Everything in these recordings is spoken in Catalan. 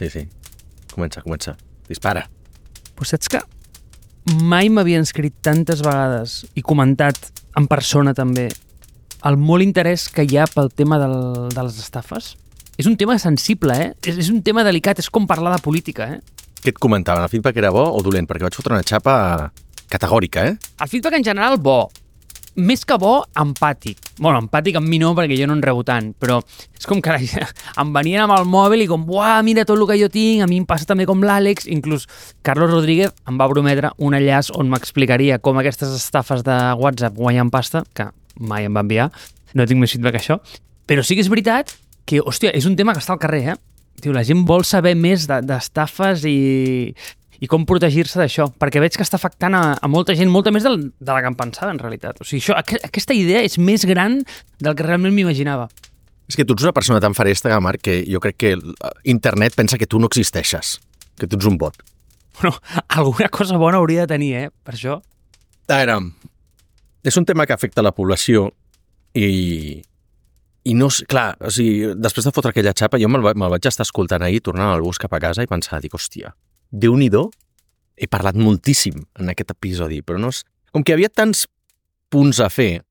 sí. Comença. Dispara. Però saps que mai m'havien escrit tantes vegades i comentat en persona també el molt interès que hi ha pel tema de les estafes? És un tema sensible, És un tema delicat, és com parlar de política, Què et comentaven? El feedback era bo o dolent? Perquè vaig fotre una xapa categòrica, El feedback en general bo. Més que bo, empàtic. Bueno, empàtic amb mi no, perquè jo no en rebo tant, però és com que em venien amb el mòbil i com, uah, mira tot el que jo tinc, a mi em passa també com l'Àlex, inclús Carlos Rodríguez em va prometre un enllaç on m'explicaria com aquestes estafes de WhatsApp guanyen pasta, que mai em va enviar, no tinc més feedback que això, però sí que és veritat que, hòstia, és un tema que està al carrer, Diu, la gent vol saber més d'estafes i com protegir-se d'això, perquè veig que està afectant a molta gent, molta més de la que em pensava, en realitat. O sigui, aquesta idea és més gran del que realment m'imaginava. És que tu ets una persona tan faresta, Marc, que jo crec que internet pensa que tu no existeixes, que tu ets un bot. Bueno, alguna cosa bona hauria de tenir, per això. A veure, és un tema que afecta la població i no sé, clar, o sigui, després de fotre aquella xapa, jo me'l vaig estar escoltant ahir, tornant al bus cap a casa i pensar, dic, hòstia, Déu-n'hi-do, he parlat moltíssim en aquest episodi, però no és... Com que hi havia tants punts a fer,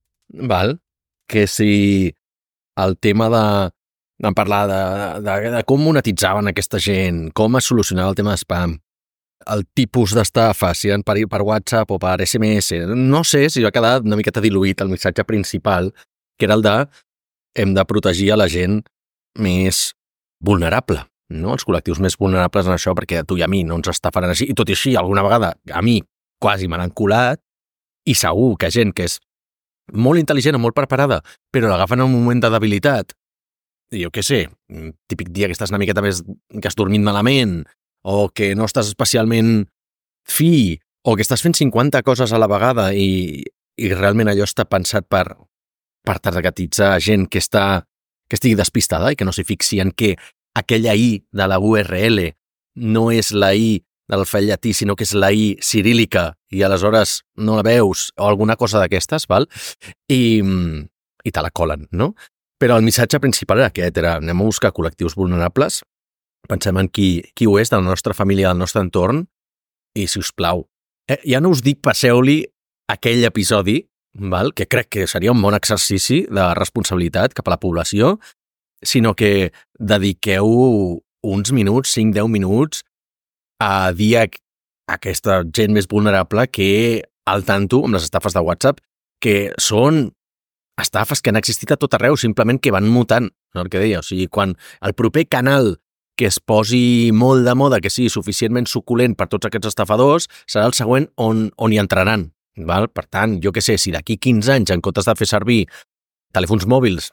val? Que si el tema de parlar de com monetitzaven aquesta gent, com es solucionava el tema d'espam, el tipus d'estafa, si eren per WhatsApp o per SMS, no sé si va quedar una miqueta diluït el missatge principal, que era el de hem de protegir a la gent més vulnerable, no? Els col·lectius més vulnerables en això, perquè a tu i a mi no ens estafaran així, i tot i així, alguna vegada, a mi quasi me l'han colat, i segur que gent que és molt intel·ligent o molt preparada, però l'agafen en un moment de debilitat, i jo què sé, típic dia que estàs una miqueta més, que has dormit malament, o que no estàs especialment fi, o que estàs fent 50 coses a la vegada i realment allò està pensat per targetitzar gent que estigui despistada i que no s'hi fixi en que aquella I de la URL no és la I de l'alfabet llatí, sinó que és la I cirílica i aleshores no la veus o alguna cosa d'aquestes, val? I te la colen, no? Però el missatge principal era aquest, anem a buscar col·lectius vulnerables, pensem en qui ho és de la nostra família, del nostre entorn, i, si us plau, ja no us dic passeu-li aquell episodi, val? Que crec que seria un bon exercici de responsabilitat cap a la població, sinó que dediqueu uns minuts, 5-10 minuts, a dir a aquesta gent més vulnerable que al tanto amb les estafes de WhatsApp, que són estafes que han existit a tot arreu, simplement que van mutant, no el que deia. O sigui, quan el proper canal que es posi molt de moda, que sigui suficientment suculent per tots aquests estafadors, serà el següent on hi entraran. Val? Per tant, jo què sé, si d'aquí 15 anys, en comptes de fer servir telèfons mòbils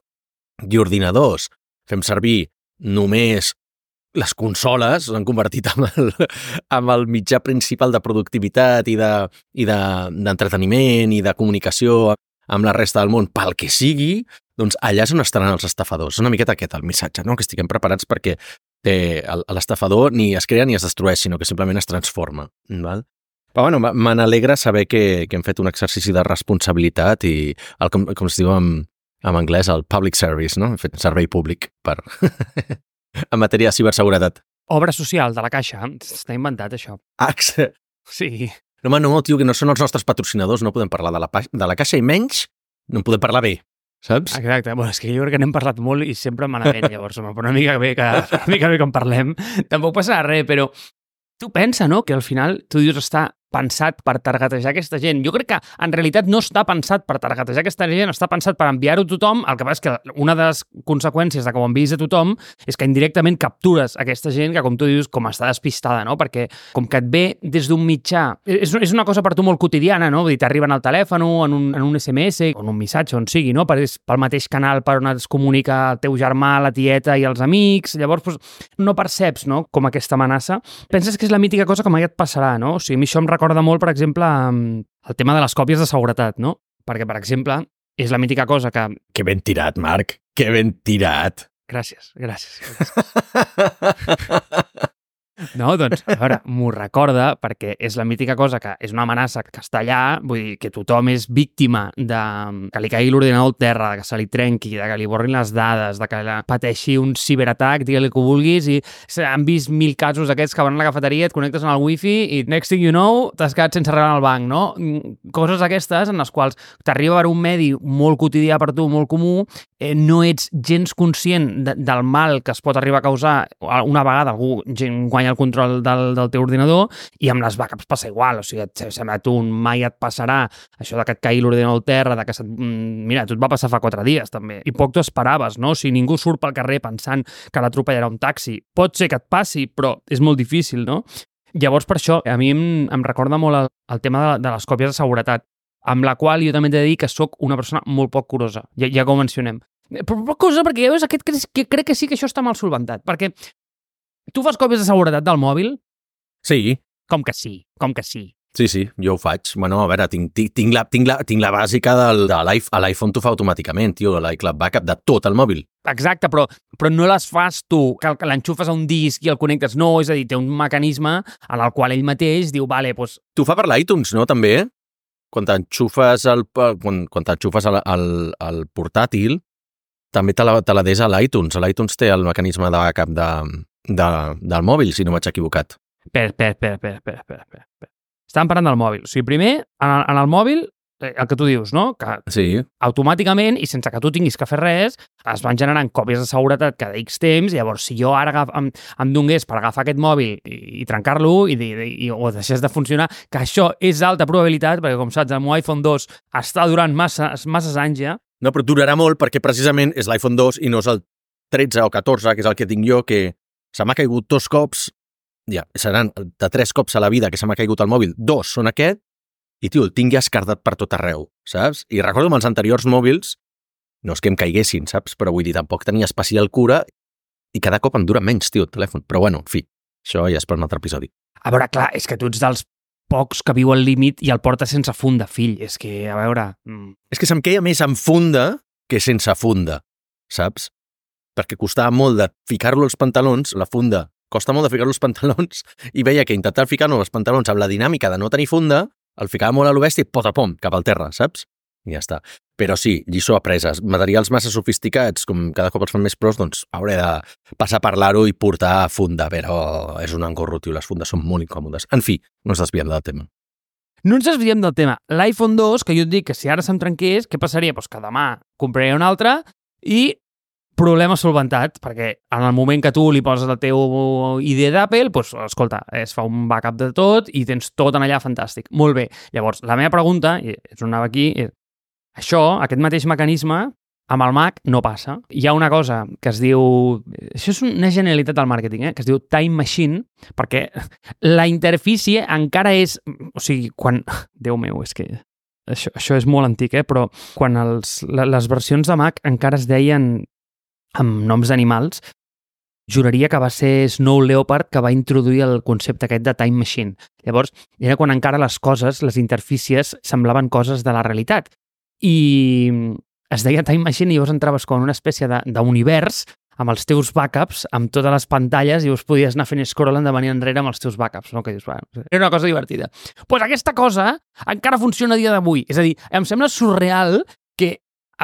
i ordinadors, fem servir només les consoles, s'han convertit en el mitjà principal de productivitat i d'entreteniment i de comunicació amb la resta del món, pel que sigui, doncs allà és on estaran els estafadors. És una miqueta aquest el missatge, no? Que estiguem preparats perquè l'estafador ni es crea ni es destrueix, sinó que simplement es transforma. Val? Però bueno, me n'alegra saber que hem fet un exercici de responsabilitat i, com es diu en anglès, el public service, no? Hem fet servei públic en matèria de ciberseguretat. Obra social de la Caixa, està inventat això. Sí. No, home, no, tio, que no són els nostres patrocinadors, no podem parlar de la Caixa i menys no podem parlar bé, saps? Exacte, bueno, és que jo crec que n'hem parlat molt i sempre malament, llavors, home, però una mica bé que en parlem. Tampoc passarà res, però tu pensa, no?, que al final tu dius està pensat per targetejar aquesta gent. Jo crec que en realitat no està pensat per targetejar aquesta gent, està pensat per enviar-ho a tothom. El que passa és que una de les conseqüències de que ho enviïs a tothom és que indirectament captures aquesta gent que, com tu dius, com està despistada, no? Perquè com que et ve des d'un mitjà... És una cosa per tu molt quotidiana, no? Vull dir, t'arriben al telèfon, en un SMS, o en un missatge, on sigui, no? Pel mateix canal per on es comunica el teu germà, la tieta i els amics. Llavors, doncs, no perceps, no?, com aquesta amenaça. Penses que és la mítica cosa que mai et passarà, no? O sigui, a mi això em recorda molt, per exemple, el tema de les còpies de seguretat, no? Perquè, per exemple, és la mítica cosa que... Que ben tirat, Marc, que ben tirat. Gràcies. No, doncs, a veure, m'ho recorda perquè és la mítica cosa que és una amenaça que està allà, vull dir que tothom és víctima de que li caigui l'ordinador al terra, de que se li trenqui, de que li borrin les dades, de que pateixi un ciberatac, digue-li que ho vulguis, i han vist 1000 casos d'aquests que van a la cafeteria, et connectes en el wifi i next thing you know, t'has quedat sense rebre al banc, no? Coses aquestes en les quals t'arriba per un medi molt quotidià per tu, molt comú, no ets gens conscient del mal que es pot arribar a causar una vegada algú guanya el control del teu ordinador, i amb les backups passa igual, o sigui, sembla tu mai et passarà això de que et caigui l'ordinador al terra, de que mira, tu et va passar fa 4 dies també, i poc t'ho esperaves, no? Si ningú surt pel carrer pensant que l'atropellarà un taxi, pot ser que et passi, però és molt difícil, no? Llavors, per això, a mi em recorda molt el tema de les còpies de seguretat, amb la qual jo també he de dir que sóc una persona molt poc curosa, ja que ho mencionem. Però poc curosa perquè ja veus, crec que sí que això està mal solventat, perquè tu fas còpies de seguretat del mòbil? Sí. Com que sí, com que sí. Sí, jo ho faig. Bueno, a veure, tinc la bàsica de l'iPhone, t'ho fa automàticament, tio, l'iCloud Backup de tot el mòbil. Exacte, però no les fas tu, que l'enxufes a un disc i el connectes. No, és a dir, té un mecanisme en el qual ell mateix diu, vale, doncs... T'ho fa per l'iTunes, no, també? Quan t'enxufes al portàtil, també te la des a l'iTunes. L'iTunes té el mecanisme de backup del mòbil, si no m'haig equivocat. Espera. Estàvem parlant del mòbil. O sigui, primer, en el mòbil, el que tu dius, no? Que sí. Automàticament, i sense que tu tinguis que fer res, es van generant còpies de seguretat cada X temps, i llavors, si jo ara em donés per agafar aquest mòbil i trencar-lo o deixés de funcionar, que això és alta probabilitat, perquè, com saps, el meu iPhone 2 està durant masses anys ja. No, però durarà molt perquè precisament és l'iPhone 2 i no és el 13 o 14, que és el que tinc jo, que se m'ha caigut 2 cops, ja, seran de 3 cops a la vida que se m'ha caigut el mòbil, 2 són aquest, i, tio, el tinc ja escardat per tot arreu, saps? I recordo amb els anteriors mòbils, no és que em caiguessin, saps? Però vull dir, tampoc tenia especial cura i cada cop em dura menys, tio, el telèfon. Però bueno, en fi, això ja és per un altre episodi. A veure, clar, és que tu ets dels pocs que viu al límit i el porta sense funda, fill. És que, a veure... És que se'm queia més amb funda que sense funda, saps? Perquè costava molt de ficar-lo als pantalons, la funda, costa molt de ficar-lo als pantalons, i veia que intentar ficar-lo als pantalons amb la dinàmica de no tenir funda, el ficava molt a lo bèstia i pom, cap al terra, saps? I ja està. Però sí, lliçó apresa. Materials massa sofisticats, com cada cop els fan més pros, doncs hauré de passar a parlar-ho i portar funda, però és un engorro, tio, les fundes són molt incòmodes. En fi, no ens desviem del tema. No ens desviem del tema. L'iPhone 2, que jo et dic que si ara se'm trenqués, què passaria? Doncs que demà compraré un altre i problema solventat, perquè en el moment que tu li poses el teu ID d'Apple, doncs, escolta, es fa un backup de tot i tens tot en allà fantàstic. Molt bé. Llavors, la meva pregunta, i és on anava aquí, és, aquest mateix mecanisme, amb el Mac no passa. Hi ha una cosa que es diu... Això és una genialitat del màrqueting, que es diu Time Machine, perquè la interfície encara és... O sigui, quan... Déu meu, és que... Això és molt antic, però quan les versions de Mac encara es deien amb noms d'animals, juraria que va ser Snow Leopard que va introduir el concepte aquest de Time Machine. Llavors, era quan encara les coses, les interfícies, semblaven coses de la realitat. I es deia Time Machine i llavors entraves com una espècie d'univers amb els teus backups, amb totes les pantalles, i us podies anar fent scroll endavant i enrere amb els teus backups. No? Que dius, era una cosa divertida. Doncs aquesta cosa encara funciona a dia d'avui. És a dir, em sembla surreal que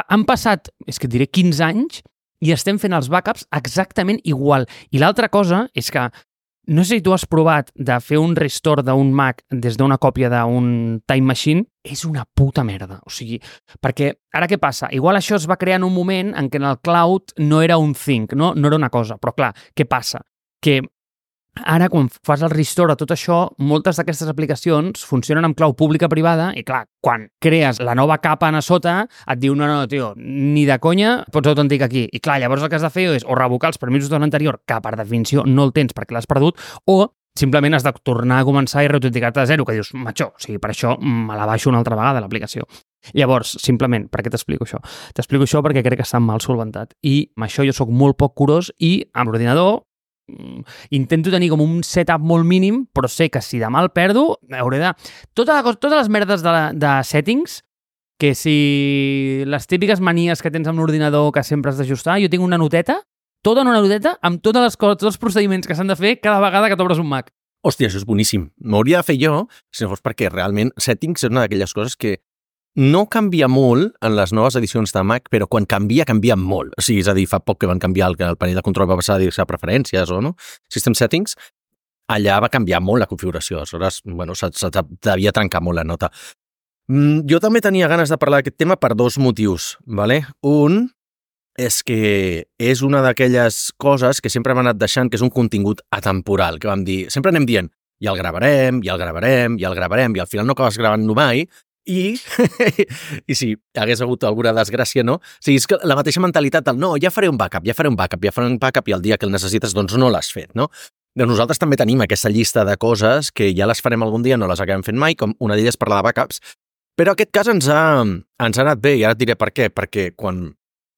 han passat, és que et diré 15 anys, i estem fent els backups exactament igual. I l'altra cosa és que, no sé si tu has provat de fer un restore d'un Mac des d'una còpia d'un Time Machine, és una puta merda. O sigui, perquè ara què passa? Igual això es va crear en un moment en què en el cloud no era un thing, no era una cosa. Però clar, què passa? Que ara, quan fas el restore a tot això, moltes d'aquestes aplicacions funcionen amb clau pública-privada i, clar, quan crees la nova capa a sota, et diu, no, tio, ni de conya pots autenticar aquí. I, clar, llavors el que has de fer és o revocar els permisos de l'anterior, que per definició no el tens perquè l'has perdut, o simplement has de tornar a començar i reautenticar-te de zero, que dius, macho, o sigui, per això me la baixo una altra vegada, l'aplicació. Llavors, simplement, per què t'explico això? T'explico això perquè crec que està mal solventat. I amb això jo sóc molt poc curós i amb l'ordinador intento tenir com un setup molt mínim, però sé que si demà el perdo, hauré de... Totes les merdes de settings, que si les típiques manies que tens amb l'ordinador que sempre has d'ajustar, jo tinc una noteta tota una noteta amb totes les coses, tots els procediments que s'han de fer cada vegada que t'obres un Mac. Hòstia, això és boníssim. M'hauria de fer jo, si no fos perquè realment Settings és una d'aquelles coses que no canvia molt en les noves edicions de Mac, però quan canvia molt. O sigui, és a dir, fa poc que van canviar el panell de control, va passar a dir-se preferències o no? System Settings, allà va canviar molt la configuració. Aleshores, bueno, se devia trencar molt la nota. Jo també tenia ganes de parlar d'aquest tema per dos motius, ¿vale? Un és que és una d'aquelles coses que sempre hem anat deixant, que és un contingut atemporal, que vam dir, sempre anem dient, ja el gravarem, i al final no acabes gravant-lo mai, i si hagués hagut alguna desgràcia, no? O sigui, és que la mateixa mentalitat del no, ja faré un backup, i el dia que el necessites, doncs no l'has fet, no? Doncs nosaltres també tenim aquesta llista de coses que ja les farem algun dia, no les acabem fent mai, com una d'elles parlar de backups, però aquest cas ens ha anat bé, i ara et diré per què, perquè quan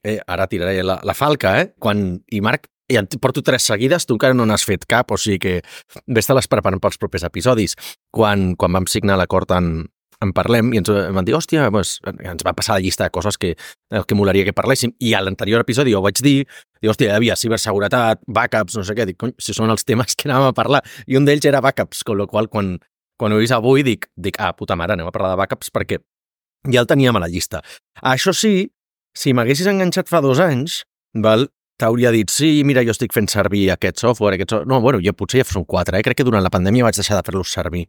ara tiraré la falca, i Marc, ja porto 3 seguides, tu encara no n'has fet cap, o sigui que ves-te-les preparant pels propers episodis. Quan vam signar l'acord en parlem, i ens van dir, hòstia, doncs, ens va passar la llista de coses que molaria que parléssim, i a l'anterior episodi ho vaig dir, hòstia, hi havia ciberseguretat, backups, no sé què, dic, cony, si són els temes que anàvem a parlar, i un d'ells era backups, amb la qual cosa, quan ho he vist avui, dic, puta mare, anem a parlar de backups, perquè ja el teníem a la llista. Això sí, si m'haguessis enganxat fa 2 anys, t'hauria dit, sí, mira, jo estic fent servir aquest software, No, bueno, jo potser ja són 4, crec que durant la pandèmia vaig deixar de fer-los servir.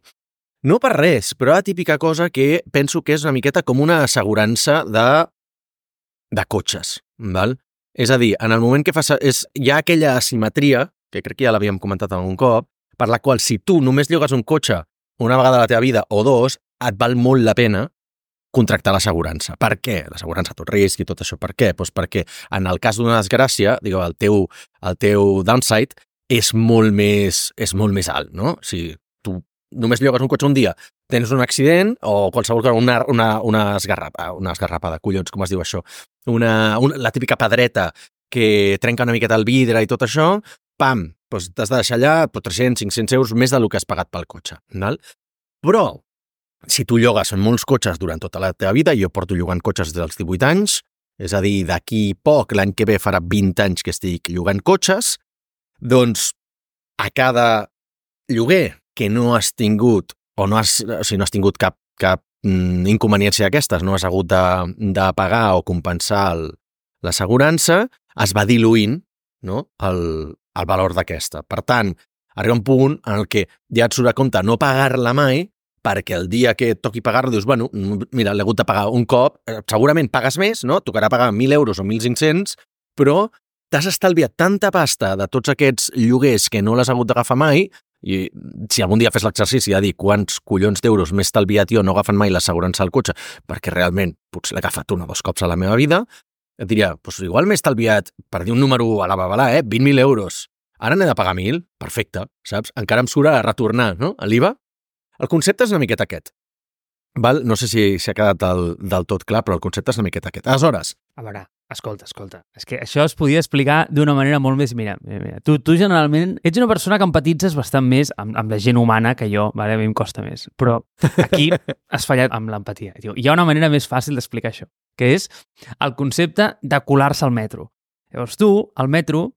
No per res, però la típica cosa que penso que és una miqueta com una assegurança de cotxes, val? És a dir, en el moment que hi ha aquella asimetria, que crec que ja l'havíem comentat algun cop, per la qual si tu només llogues un cotxe una vegada a la teva vida o 2, et val molt la pena contractar l'assegurança. Per què? L'assegurança a tot risc i tot això. Per què? Doncs perquè en el cas d'una desgràcia, el teu downside és molt més alt, no? Si tu només llogues un cotxe un dia, tens un accident o qualsevol cosa, una esgarrapada, collons, com es diu això? La típica pedreta que trenca una miqueta el vidre i tot això, pam, doncs t'has de deixar allà 300, 500 euros més del que has pagat pel cotxe. Val? Però si tu llogues en molts cotxes durant tota la teva vida, jo porto llogant cotxes dels 18 anys, és a dir, d'aquí poc, l'any que ve farà 20 anys que estic llogant cotxes, doncs a cada lloguer que no has tingut, no has tingut cap inconveniència d'aquestes, no has hagut de pagar o compensar l'assegurança, es va diluint, no? el valor d'aquesta. Per tant, arriba un punt en el que ja et surt a compte no pagar-la mai, perquè el dia que et toqui pagar-lo dius, bueno, mira, l'he hagut de pagar un cop, segurament pagues més, no? Tocarà pagar 1.000 euros o 1.500, però t'has estalviat tanta pasta de tots aquests lloguers que no l'has hagut d'agafar mai, i si algun dia fes l'exercici de dir quants collons d'euros m'he estalviat jo no agafant mai l'assegurança al cotxe, perquè realment potser l'he agafat 1 o 2 cops a la meva vida, et diria, doncs igual m'he estalviat, per dir un número a la babalà, 20.000 euros. Ara n'he de pagar 1.000, perfecte, saps? Encara em surt a retornar, no?, a l'IVA. El concepte és una miqueta aquest. Val? No sé si ha quedat del tot clar, però el concepte és una miqueta aquest. Aleshores... A veure, escolta. És que això es podia explicar d'una manera molt més... Mira. Tu generalment ets una persona que empatitzes bastant més amb la gent humana que jo, vale? A mi em costa més. Però aquí has fallat amb l'empatia. Hi ha una manera més fàcil d'explicar això, que és el concepte de colar-se al metro. Llavors tu, al metro,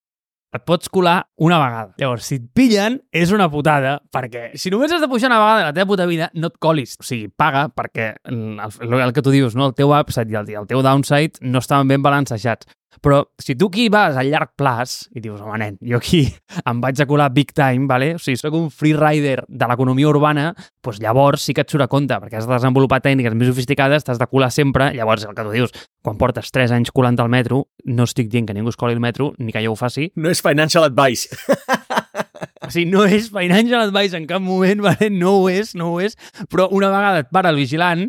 et pots colar una vegada. Llavors, si et pillen, és una putada, perquè si només has de pujar una vegada a la teva puta vida, no et colis. O sigui, paga, perquè el que tu dius, no? El teu upside i el teu downside no estaven ben balancejats. Però si tu aquí vas a llarg plaç i dius, home, nen, jo aquí em vaig a colar big time, vale? O sigui, soc un freerider de l'economia urbana, doncs llavors sí que et surt a compte, perquè has de desenvolupar tècniques més sofisticades, t'has de colar sempre, llavors el que tu dius, quan portes 3 anys colant al metro, no estic dient que ningú es coli al metro, ni que jo ho faci. No és financial advice. O sigui, no és financial advice en cap moment, vale? No ho és, però una vegada et para el vigilant,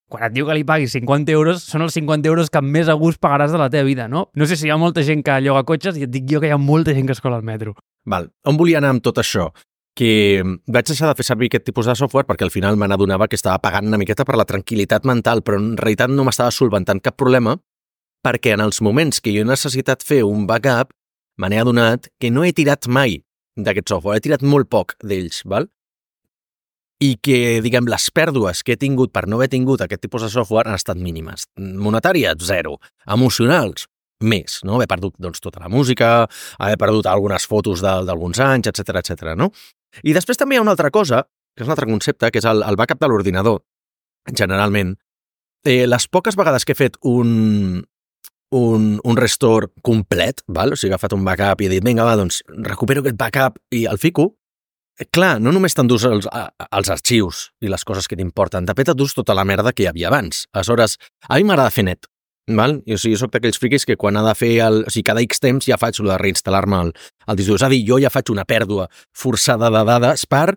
quan et diu que li paguis 50 euros, són els 50 euros que més a gust pagaràs de la teva vida, no? No sé si hi ha molta gent que lloga cotxes i et dic jo que hi ha molta gent que es cola al metro. Val. On volia anar amb tot això? Que vaig deixar de fer servir aquest tipus de software perquè al final me n'adonava que estava pagant una miqueta per la tranquil·litat mental, però en realitat no m'estava solventant cap problema perquè en els moments que jo he necessitat fer un backup me n'he adonat que no he tirat mai d'aquest software, he tirat molt poc d'ells, val? I que, diguem, les pèrdues que he tingut per no haver tingut aquest tipus de software han estat mínimes. Monetàries, 0. Emocionals, més, no? Haver perdut doncs, tota la música, haver perdut algunes fotos d'alguns anys, etc, no? I després també hi ha una altra cosa, que és un altre concepte, que és el backup de l'ordinador. Generalment, les poques vegades que he fet un restore complet, val? O sigui, he agafat un backup i he dit, vinga, va, doncs recupero aquest backup i el fico, clar, no només t'endús els arxius i les coses que t'importen, de fet t'endús tota la merda que hi havia abans. Aleshores, a mi m'agrada fer net, val? O sigui, jo soc d'aquells friquis que quan ha de fer o sigui, cada X temps ja faig el de reinstal·lar-me el disc dur. És a dir, jo ja faig una pèrdua forçada de dades per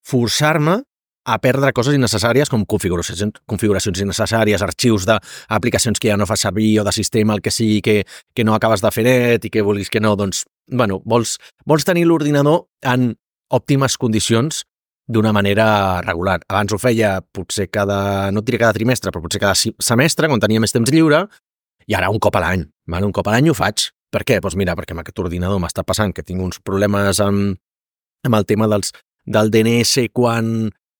forçar-me a perdre coses innecessàries com configuracions innecessàries, arxius d'aplicacions que ja no fas servir o de sistema, el que sigui que no acabes de fer net i que vulguis que no, doncs, bueno, vols tenir l'ordinador en òptimes condicions d'una manera regular. Abans ho feia potser no et diré cada trimestre, però potser cada semestre, quan tenia més temps lliure, i ara un cop a l'any. Un cop a l'any ho faig. Per què? Doncs mira, perquè amb aquest ordinador m'està passant que tinc uns problemes amb el tema del DNS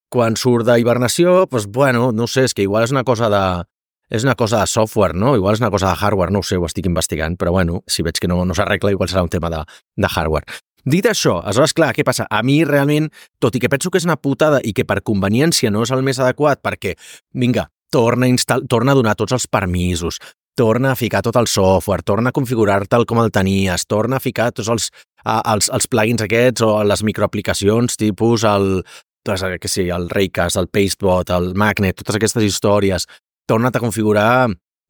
quan surt d'hibernació, doncs bueno, no sé, és que igual és una cosa de software, no? Igual és una cosa de hardware, no ho sé, ho estic investigant, però bueno, si veig que no s'arregla, igual serà un tema de hardware. Dit això, aleshores, clar, què passa? A mi realment, tot i que penso que és una putada i que per conveniència no és el més adequat perquè, vinga, torna a donar tots els permisos, torna a ficar tot el software, torna a configurar-te'l com el tenies, torna a ficar tots els plugins aquests o les microaplicacions tipus el Raycast, el Pastebot, el Magnet, totes aquestes històries, torna't a configurar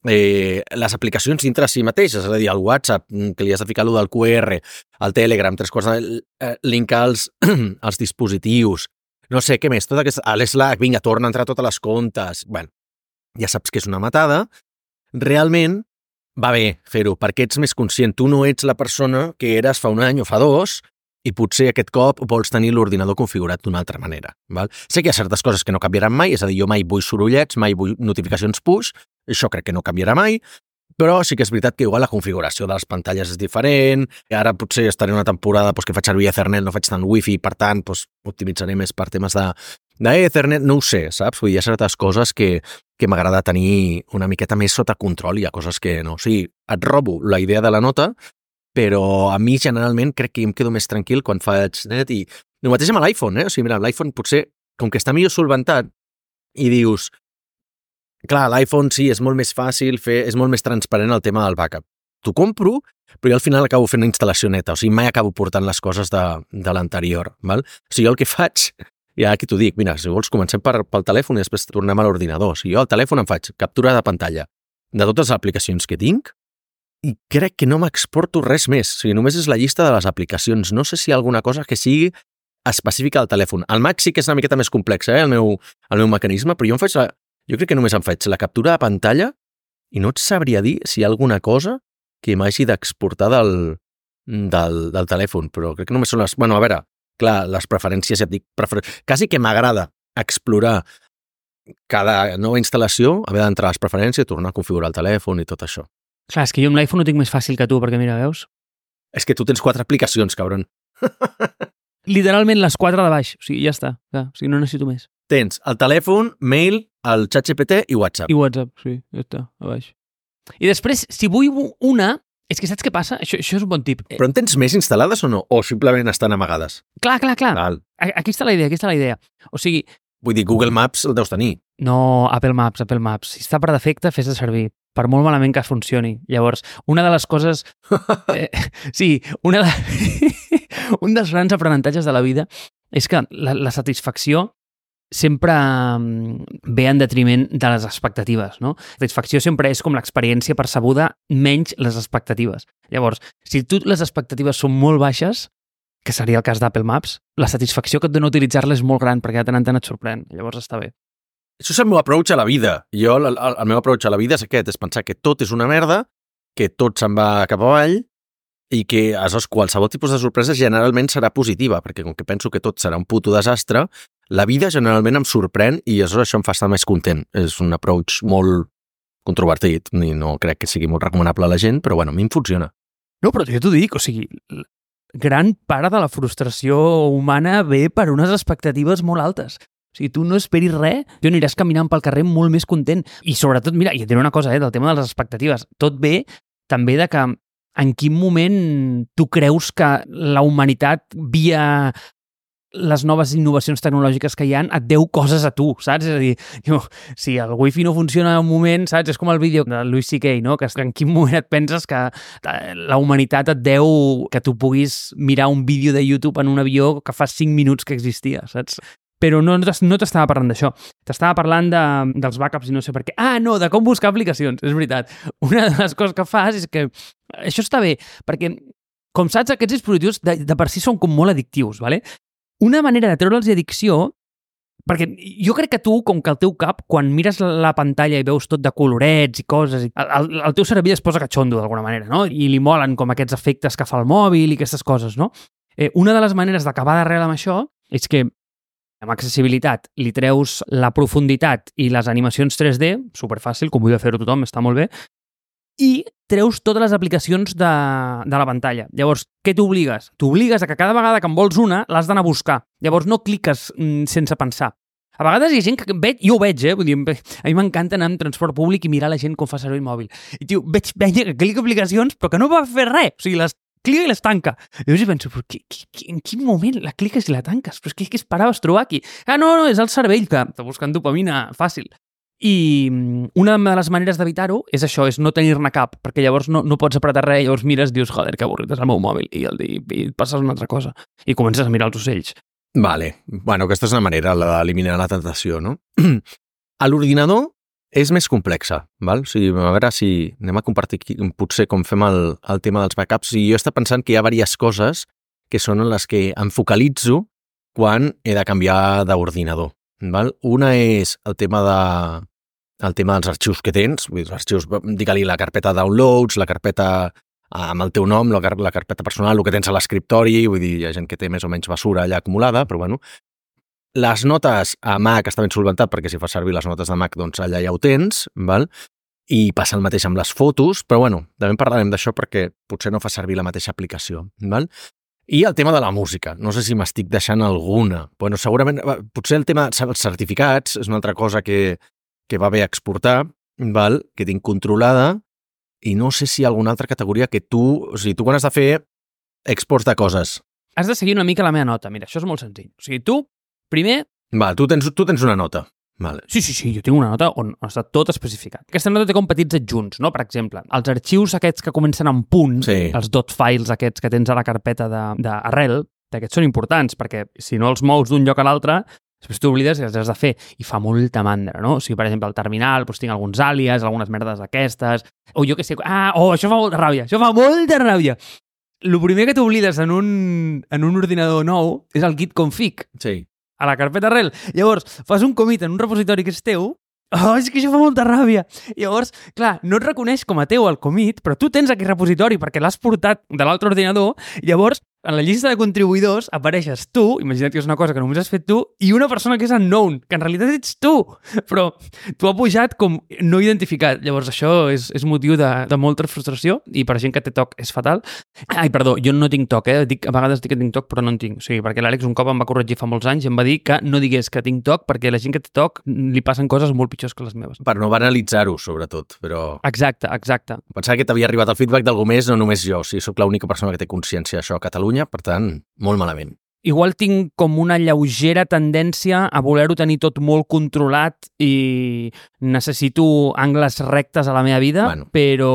les aplicacions dintre si mateixes, és a dir, el WhatsApp, que li has de ficar allò del QR, el Telegram, linkar els dispositius, no sé, què més, l'Slack, vinga, torna a entrar a totes les comptes. Bueno, ja saps que és una matada. Realment va bé fer-ho, perquè ets més conscient. Tu no ets la persona que eres fa un any o fa dos i potser aquest cop vols tenir l'ordinador configurat d'una altra manera. Val? Sé que hi ha certes coses que no canviaran mai, és a dir, jo mai vull sorollets, mai vull notificacions push, això crec que no canviarà mai, però sí que és veritat que igual la configuració de les pantalles és diferent, i ara potser estaré una temporada que faig servir Ethernet, no faig tant Wi-Fi, per tant, optimitzaré més per temes d'Ethernet, no ho sé, saps? Vull dir, hi ha certes coses que m'agrada tenir una miqueta més sota control, hi ha coses que no. O sigui, et robo la idea de la nota, però a mi generalment crec que em quedo més tranquil quan faig net i el mateix amb l'iPhone, O sigui, mira, l'iPhone potser, com que està millor solventat i dius, clar, l'iPhone sí, és molt més fàcil és molt més transparent el tema del backup. T'ho compro, però jo al final acabo fent una instal·lació neta, o sigui, mai acabo portant les coses de l'anterior, val? O sigui, jo el que faig, i ara aquí t'ho dic, mira, si vols comencem pel telèfon i després tornem a l'ordinador. O sigui, jo al telèfon em faig captura de pantalla de totes les aplicacions que tinc i crec que no m'exporto res més. O sigui, només és la llista de les aplicacions. No sé si hi ha alguna cosa que sigui específica del telèfon. El Mac sí que és una miqueta més complexa, el meu mecanisme, però jo crec que només em faig la captura de pantalla i no et sabria dir si hi ha alguna cosa que m'hagi d'exportar del telèfon, però crec que només són les... Bueno, a veure, clar, les preferències, ja et dic, quasi que m'agrada explorar cada nova instal·lació, haver d'entrar a les preferències, tornar a configurar el telèfon i tot això. Clar, és que jo amb l'iPhone ho tinc més fàcil que tu, perquè mira, veus? És que tu tens 4 aplicacions, cabron. Literalment les 4 de baix, o sigui, ja està, clar, o sigui, no necessito més. Tens el telèfon, mail, el ChatGPT i WhatsApp. I WhatsApp, sí, ja està, a baix. I després, si vull una, és que saps què passa? Això és un bon tip. Però en tens més instal·lades o no? O simplement estan amagades? Clar. Aquí està la idea, O sigui... Vull dir, Google Maps el deus tenir. No, Apple Maps. Si està per defecte, fes-te servir. Per molt malament que funcioni. Llavors, una de les coses... sí, un dels grans aprenentatges de la vida és que la satisfacció sempre ve en detriment de les expectatives, no? La satisfacció sempre és com l'experiència percebuda menys les expectatives. Llavors, si les expectatives són molt baixes, que seria el cas d'Apple Maps, la satisfacció que et dona utilitzar-la és molt gran perquè de tant en tant et sorprèn. Llavors està bé. Això és el meu approach a la vida. Jo, el meu approach a la vida és aquest, és pensar que tot és una merda, que tot se'n va cap avall i que aleshores qualsevol tipus de sorpresa generalment serà positiva, perquè com que penso que tot serà un puto desastre, la vida generalment em sorprèn i aleshores això em fa estar més content. És un approach molt controvertit i no crec que sigui molt recomanable a la gent, però bueno, a mi em funciona. No, però jo t'ho dic, o sigui, gran part de la frustració humana ve per unes expectatives molt altes. O sigui, tu no esperis res, tu aniràs caminant pel carrer molt més content. I sobretot, mira, i et diré una cosa, del tema de les expectatives, tot ve també de que en quin moment tu creus que la humanitat, via les noves innovacions tecnològiques que hi ha, et deu coses a tu, saps? És a dir, si el wifi no funciona en un moment, saps? És com el vídeo de Louis C.K., no? Que en quin moment et penses que la humanitat et deu que tu puguis mirar un vídeo de YouTube en un avió que fa 5 minuts que existia, saps? Però no t'estava parlant d'això. T'estava parlant dels backups i no sé per què. No, de com buscar aplicacions, és veritat. Una de les coses que fas és que això està bé, perquè, com saps, aquests dispositius de per si són com molt addictius, ¿vale? Una manera de treure'ls addicció, perquè jo crec que tu, com que el teu cap, quan mires la pantalla i veus tot de colorets i coses, el teu cervell es posa catxondo d'alguna manera, no? I li molen com aquests efectes que fa el mòbil i aquestes coses, no? Una de les maneres d'acabar d'arrel amb això és que amb accessibilitat li treus la profunditat i les animacions 3D, superfàcil, com vull fer-ho tothom, està molt bé, i treus totes les aplicacions de la pantalla. Llavors, què t'obligues? T'obligues a que cada vegada que en vols una l'has d'anar a buscar. Llavors, no cliques sense pensar. A vegades hi ha gent que veig, jo ho veig, vull dir, a mi m'encanta anar en transport públic i mirar la gent com fa servir el mòbil. I, tio, veig que clica aplicacions però que no va fer res. O sigui, les clica i les tanca. I llavors penso, però en quin moment la cliques i la tanques? Però és que què esperaves trobar aquí? No, és el cervell que està buscant dopamina fàcil. I una de les maneres d'evitar-ho és això, és no tenir-ne cap, perquè llavors no pots apretar res, llavors mires, dius, joder, que avorrit és el meu mòbil, i et passes una altra cosa, i comences a mirar els ocells. Vale. Bueno, aquesta és una manera d'eliminar la tentació, no? A l'ordinador és més complexa, val? O sigui, a veure si anem a compartir aquí, potser com fem el tema dels backups, i jo estava pensant que hi ha diverses coses que són les que em focalitzo quan he de canviar d'ordinador. Val? Una és el tema dels arxius que tens, vull dir, els arxius, digue-li la carpeta downloads, la carpeta amb el teu nom, la carpeta personal, el que tens a l'escriptori, vull dir, hi ha gent que té més o menys basura allà acumulada, però bueno. Les notes a Mac està ben solventat, perquè si fas servir les notes de Mac, doncs allà ja ho tens, val? I passa el mateix amb les fotos, però bueno, també parlarem d'això perquè potser no fa servir la mateixa aplicació, val? I el tema de la música. No sé si m'estic deixant alguna. Bueno, segurament, potser el tema dels certificats és una altra cosa que va bé exportar, val? Que tinc controlada, i no sé si hi ha alguna altra categoria que tu... O sigui, tu quan has de fer exports de coses... Has de seguir una mica la meva nota. Mira, això és molt senzill. O sigui, tu, primer... Val, tu tens una nota. Vale. Sí, jo tinc una nota on està tot especificat. Aquesta nota té com petits adjunts, no? Per exemple, els arxius aquests que comencen amb punt, sí. Els dot files aquests que tens a la carpeta d'arrel, aquests són importants, perquè si no els mous d'un lloc a l'altre, després t'oblides que els has de fer, i fa molta mandra, no? O sigui, per exemple, al terminal, doncs tinc alguns àlies, algunes merdes d'aquestes, o jo què sé... això fa molta ràbia, això fa molta ràbia! El primer que t'oblides en un ordinador nou és el git config. Sí. A la carpeta arrel. Llavors, fas un commit en un repositori que és teu, és que això fa molta ràbia. Llavors, clar, no et reconeix com a teu el commit, però tu tens aquest repositori perquè l'has portat de l'altre ordinador, llavors, en la llista de contribuïdors apareixes tu, imagina't que és una cosa que només has fet tu, i una persona que és unknown, que en realitat ets tu, però tu ha pujat com no identificat. Llavors això és motiu de molta frustració, i per gent que té TOC és fatal. Ai, perdó, jo no tinc TOC, a vegades dic que tinc TOC, però no en tinc. O sigui, perquè l'Àlex un cop em va corregir fa molts anys i em va dir que no digués que tinc TOC perquè la gent que té TOC li passen coses molt pitjors que les meves. Per no banalitzar-ho, sobretot, però... Exacte. Pensava que t'havia arribat el feedback d'algú més, no només jo. O sigui, soc l'única persona que té consciència d'això a Catalunya, per tant, molt malament. Igual tinc com una lleugera tendència a voler-ho tenir tot molt controlat i necessito angles rectes a la meva vida, bueno. Però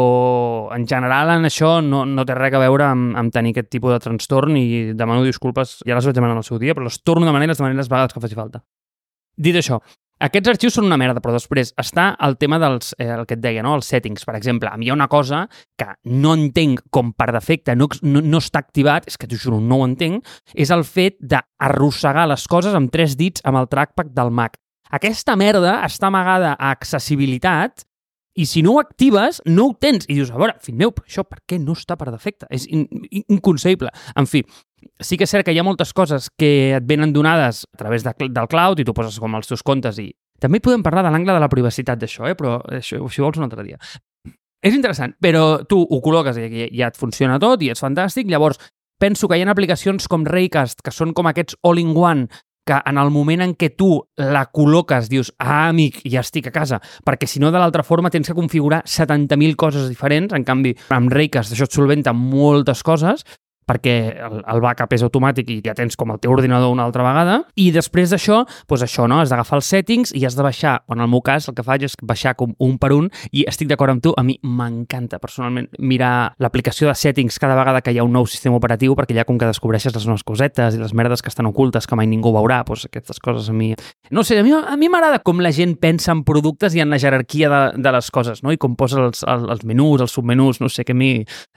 en general en això no té res a veure amb tenir aquest tipus de trastorn i demano disculpes, ja les vaig demanar en el seu dia, però les torno de manera les vegades que faci falta. Dit això, aquests arxius són una merda, però després està el tema dels, el que et deia, no? Els settings. Per exemple, a mi hi ha una cosa que no entenc com per defecte, no està activat, és que t'ho juro, no ho entenc, és el fet d'arrossegar les coses amb 3 dits amb el trackpad del Mac. Aquesta merda està amagada a accessibilitat i si no ho actives, no ho tens. I dius, a veure, fill meu, això per què no està per defecte? És inconcebible. En fi, sí que és cert que hi ha moltes coses que et venen donades a través del cloud i tu poses com els teus comptes i... També podem parlar de l'angle de la privacitat d'això, però això, si vols un altre dia. És interessant, però tu ho col·loques i ja et funciona tot i és fantàstic. Llavors, penso que hi ha aplicacions com Raycast, que són com aquests all-in-one, que en el moment en què tu la col·loques dius, amic, ja estic a casa, perquè si no de l'altra forma tens que configurar 70.000 coses diferents, en canvi amb Raycast això et solventa moltes coses, perquè el backup és automàtic i ja tens com el teu ordinador una altra vegada, i després d'això, doncs això, no? Has d'agafar els settings i has de baixar, en el meu cas el que faig és baixar com un per un, i estic d'acord amb tu, a mi m'encanta personalment mirar l'aplicació de settings cada vegada que hi ha un nou sistema operatiu, perquè ja com que descobreixes les noves cosetes i les merdes que estan ocultes que mai ningú veurà, doncs aquestes coses a mi... No sé, a mi m'agrada com la gent pensa en productes i en la jerarquia de les coses, no? I com posa els menús, els submenús, no sé, que a mi...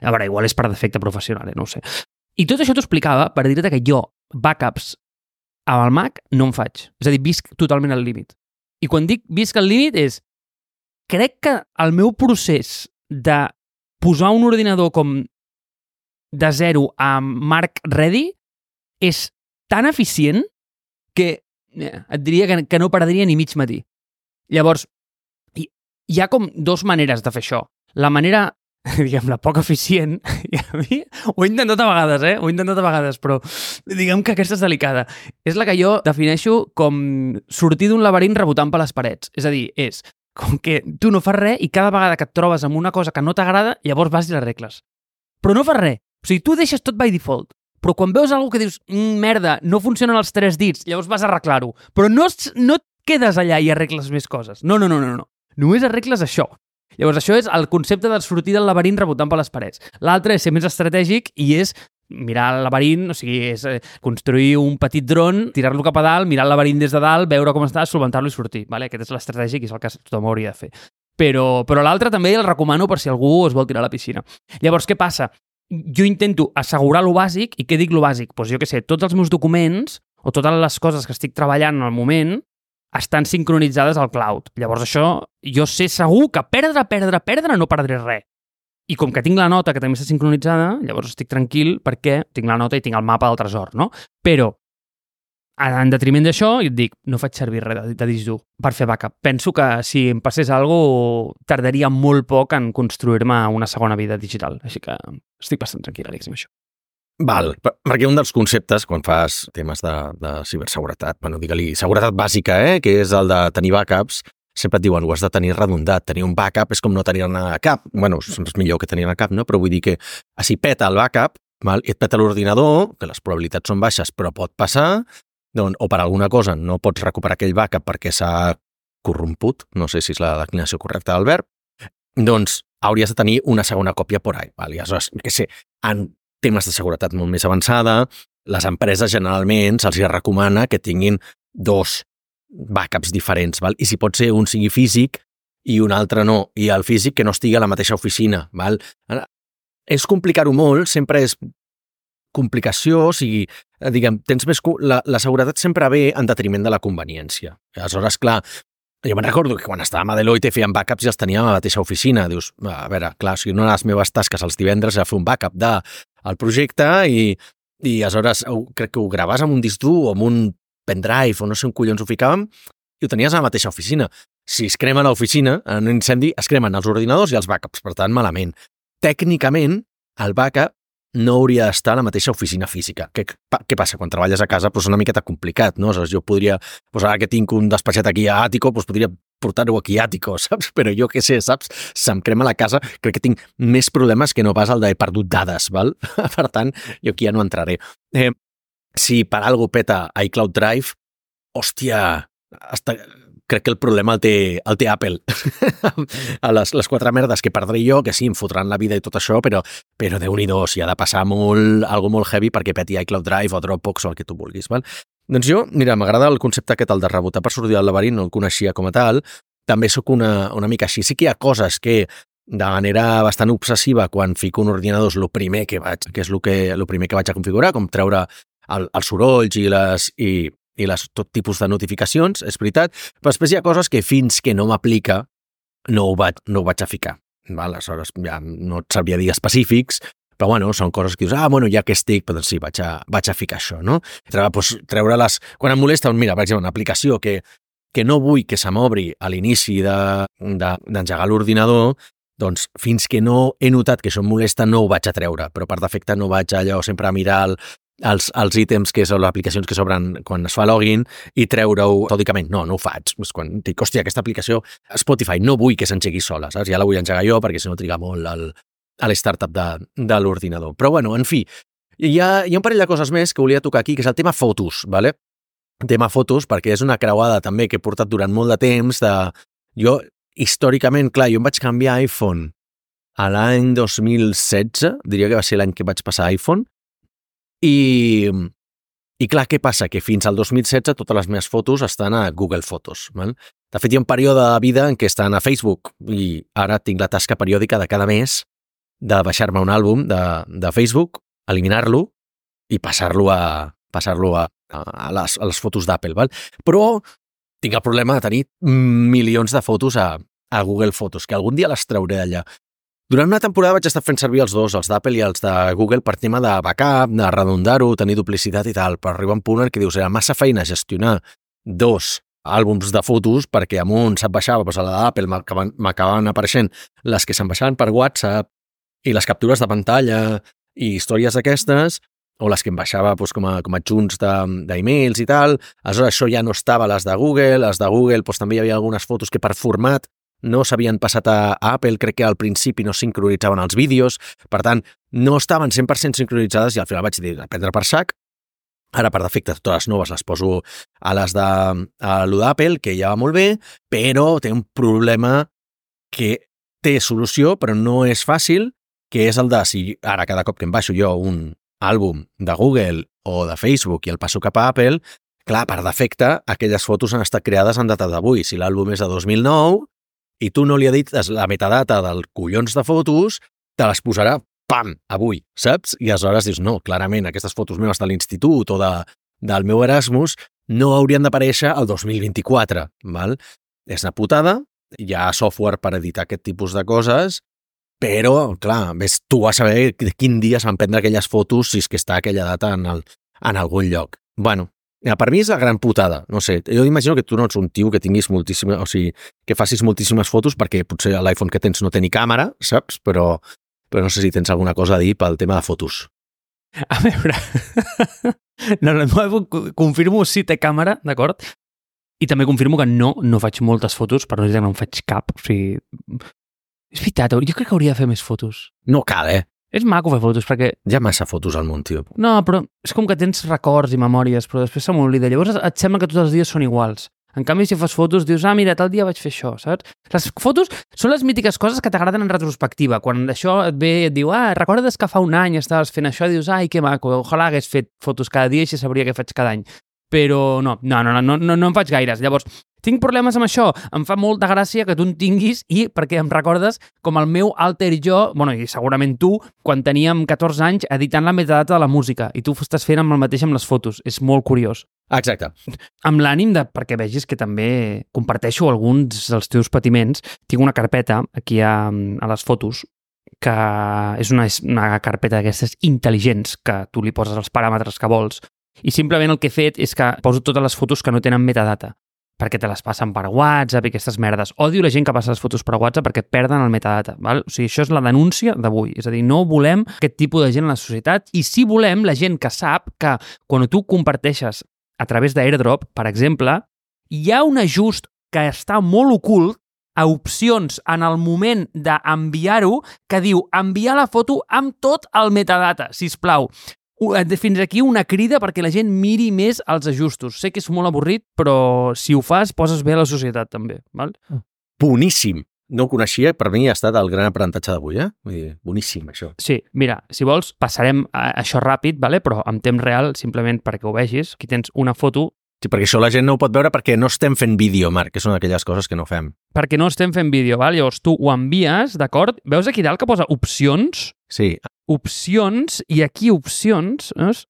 A veure, igual és per defecte professional, no ho sé. I tot això t'ho explicava per dir-te que jo backups amb el Mac no en faig. És a dir, visc totalment al límit. I quan dic visc al límit és... Crec que el meu procés de posar un ordinador com de zero a Mark Ready és tan eficient que et diria que no perdria ni mig matí. Llavors, hi ha com dues maneres de fer això. La manera... diguem, la poc eficient, i a mi ho he intentat a vegades, però diguem que aquesta és delicada. És la que jo defineixo com sortir d'un laberint rebotant per les parets. És a dir, és com que tu no fas res i cada vegada que et trobes amb una cosa que no t'agrada, llavors vas i l'arregles. Però no fas res. O sigui, tu deixes tot by default. Però quan veus alguna que dius, merda, no funcionen els 3 dits, llavors vas a arreglar-ho. Però no et quedes allà i arregles més coses. No. Només arregles això. Llavors, això és el concepte de sortir del laberint rebotant per les parets. L'altre és ser més estratègic i és mirar el laberint, o sigui, és construir un petit dron, tirar-lo cap a dalt, mirar el laberint des de dalt, veure com està, solventar-lo i sortir. Vale? Aquest és l'estratègic i és el que tothom hauria de fer. Però l'altre també el recomano per si algú es vol tirar a la piscina. Llavors, què passa? Jo intento assegurar lo bàsic, i què dic lo bàsic? Doncs jo què sé, tots els meus documents o totes les coses que estic treballant en el moment estan sincronitzades al cloud. Llavors això, jo sé segur que perdre no perdré res. I com que tinc la nota que també està sincronitzada, llavors estic tranquil perquè tinc la nota i tinc el mapa del tresor, no? Però, en detriment d'això, jo et dic, no faig servir res de disc dur per fer backup. Penso que si em passés alguna cosa, tardaria molt poc en construir-me una segona vida digital. Així que estic bastant tranquil, Àlex, amb això. Val, perquè un dels conceptes, quan fas temes de ciberseguretat, bueno, digue-li seguretat bàsica, que és el de tenir backups, sempre et diuen, ho has de tenir redondat. Tenir un backup és com no tenir-ne cap. Bueno, és millor que tenir-ne cap, no? Però vull dir que si peta el backup, val, i et peta l'ordinador, que les probabilitats són baixes, però pot passar, doncs, o per alguna cosa no pots recuperar aquell backup perquè s'ha corromput, no sé si és la declinació correcta del verb, doncs hauries de tenir una segona còpia por ahí. Val? I aleshores, què sé, en temes de seguretat molt més avançada, les empreses generalment se'ls recomana que tinguin 2 backups diferents, val? I si pot ser un sigui físic i un altre no, i el físic que no estigui a la mateixa oficina. Val? És complicar-ho molt, sempre és complicació, o sigui, diguem, tens més... La seguretat sempre ve en detriment de la conveniència. Aleshores, clar, jo me'n recordo que quan estàvem a Deloitte fèiem backups i els teníem a la mateixa oficina. Dius, a veure, clar, o sigui, una de les meves tasques els divendres era fer un backup del projecte i aleshores crec que ho graves amb un disc dur o amb un pendrive o no sé on collons ho ficàvem i ho tenies a la mateixa oficina. Si es crema l'oficina, en un incendi es cremen els ordinadors i els backups, per tant, malament. Tècnicament, el backup no hauria d'estar a la mateixa oficina física. Què passa? Quan treballes a casa és una miqueta complicat, no? Aleshores, jo podria, ara que tinc un despatxet aquí a Àtico, podria portar-ho aquí a Àtico, saps? Però jo què sé, saps? Se'm crema la casa, crec que tinc més problemes que no pas el de he perdut dades, val? Per tant, jo aquí ja no entraré. Si per algo peta iCloud Drive, hòstia, crec que el problema el té Apple. A les 4 merdes que perdré jo, que sí, em fotran la vida i tot això, però Déu-n'hi-do, si ha de passar algo molt heavy perquè peti iCloud Drive o Dropbox o el que tu vulguis, val? Doncs jo, mira, m'agrada el concepte aquest, el de rebotar per sortir del laberint, no el coneixia com a tal, també sóc una mica així. Sí que hi ha coses que de manera bastant obsessiva quan fico un ordinador és el primer que vaig a configurar, com treure els sorolls i tot tipus de notificacions, és veritat, però després hi ha coses que fins que no m'aplica no ho vaig a ficar. Val? Aleshores, ja no et sabria dir específics, però bueno, són coses que dius, bueno, ja que estic, doncs sí, vaig a ficar això, no? Treure-les... Quan em molesta, mira, per exemple, una aplicació que no vull que se m'obri a l'inici d'engegar l'ordinador, doncs fins que no he notat que això em molesta no ho vaig a treure, però per defecte no vaig allò sempre a mirar els ítems, que són les aplicacions que s'obren quan es fa login, i treure-ho metòdicament. No ho faig. Quan dic, hòstia, aquesta aplicació Spotify no vull que s'engegui sola, saps? Ja la vull engegar jo perquè si no triga molt a l'startup de l'ordinador. Però bueno, en fi, hi ha un parell de coses més que volia tocar aquí, que és el tema fotos, ¿vale? Tema fotos, perquè és una creuada també que he portat durant molt de temps. Jo, històricament, clar, jo em vaig canviar iPhone a l'any 2016, diria que va ser l'any que vaig passar a iPhone, i clar, què passa? Que fins al 2016 totes les meves fotos estan a Google Fotos. Val? De fet, hi ha un període de vida en què estan a Facebook i ara tinc la tasca periòdica de cada mes de baixar-me un àlbum de Facebook, eliminar-lo i passar-lo a les fotos d'Apple. Val? Però tinc el problema de tenir milions de fotos a Google Fotos, que algun dia les trauré d'allà. Durant una temporada vaig estar fent servir els dos, els d'Apple i els de Google, per tema de backup, de redundar-ho, tenir duplicitat i tal, però arriba un punt en què dius, era massa feina gestionar 2 àlbums de fotos perquè amb un se't baixava, doncs a la d'Apple m'acabaven apareixent les que se'n baixaven per WhatsApp i les captures de pantalla i històries d'aquestes, o les que em baixava doncs, com a adjunts d'emails i tal. Aleshores, això ja no estava a les de Google. Les de Google doncs, també hi havia algunes fotos que per format no s'havien passat a Apple, crec que al principi no sincronitzaven els vídeos, per tant, no estaven 100% sincronitzades i al final vaig dir, a prendre per sac. Ara, per defecte, totes les noves les poso a les de lo d'Apple, que ja va molt bé, però té un problema que té solució, però no és fàcil, que és el de, si ara cada cop que em baixo jo un àlbum de Google o de Facebook i el passo cap a Apple, clar, per defecte, aquelles fotos han estat creades en data d'avui. Si l'àlbum és de 2009, i tu no li edites la metadata del collons de fotos, te les posarà, pam, avui, saps? I aleshores dius, no, clarament, aquestes fotos meves de l'institut o del meu Erasmus no haurien d'aparèixer el 2024, val? És una putada, hi ha software per editar aquest tipus de coses, però, clar, ves tu a saber de quin dia es van prendre aquelles fotos si és que està aquella data en algun lloc. Bueno, per mi és la gran putada, no sé, jo imagino que tu no ets un tio que tinguis moltíssimes, o sigui, que facis moltíssimes fotos perquè potser l'iPhone que tens no té ni càmera, saps? Però no sé si tens alguna cosa a dir pel tema de fotos. A veure, confirmo si té càmera, d'acord? I també confirmo que no faig moltes fotos, per no dir que no en faig cap, o sigui... És veritat, jo crec que hauria de fer més fotos. No cal, És maco fer fotos, perquè... Hi ha massa fotos al món, tio. No, però és com que tens records i memòries, però després se m'oblida. Llavors et sembla que tots els dies són iguals. En canvi, si fas fotos, dius, mira, tal dia vaig fer això, saps? Les fotos són les mítiques coses que t'agraden en retrospectiva. Quan això et ve i et diu, recordes que fa un any estaves fent això, i dius, que maco, ojalà hagués fet fotos cada dia i així sabria què faig cada any. Però no en faig gaires. Llavors, tinc problemes amb això. Em fa molta gràcia que tu en tinguis i perquè em recordes com el meu alter jo, i segurament tu, quan teníem 14 anys editant la metadata de la música i tu estàs fent amb el mateix amb les fotos. És molt curiós. Exacte. Amb l'ànim perquè vegis que també comparteixo alguns dels teus patiments. Tinc una carpeta aquí a les fotos que és una carpeta d'aquestes intel·ligents que tu li poses els paràmetres que vols i simplement el que he fet és que poso totes les fotos que no tenen metadata perquè te les passen per WhatsApp i aquestes merdes. Odio la gent que passa les fotos per WhatsApp perquè perden el metadata. Val? O sigui, això és la denúncia d'avui. És a dir, no volem aquest tipus de gent a la societat i sí volem la gent que sap que quan tu comparteixes a través d'AirDrop, per exemple, hi ha un ajust que està molt ocult a opcions en el moment d'enviar-ho que diu enviar la foto amb tot el metadata, sisplau. Fins aquí una crida perquè la gent miri més els ajustos. Sé que és molt avorrit, però si ho fas, poses bé a la societat també. Val? Boníssim. No ho coneixia, per mi ha estat el gran aprenentatge d'avui, Vull dir, boníssim, això. Sí, mira, si vols, passarem a això ràpid, vale? Però en temps real, simplement perquè ho vegis. Aquí tens una foto. Sí, perquè això la gent no ho pot veure perquè no estem fent vídeo, Marc, que són aquelles coses que no fem. Perquè no estem fent vídeo, val? Llavors tu ho envies, d'acord? Veus aquí dalt que posa opcions? Sí. Opcions, i aquí opcions, veus?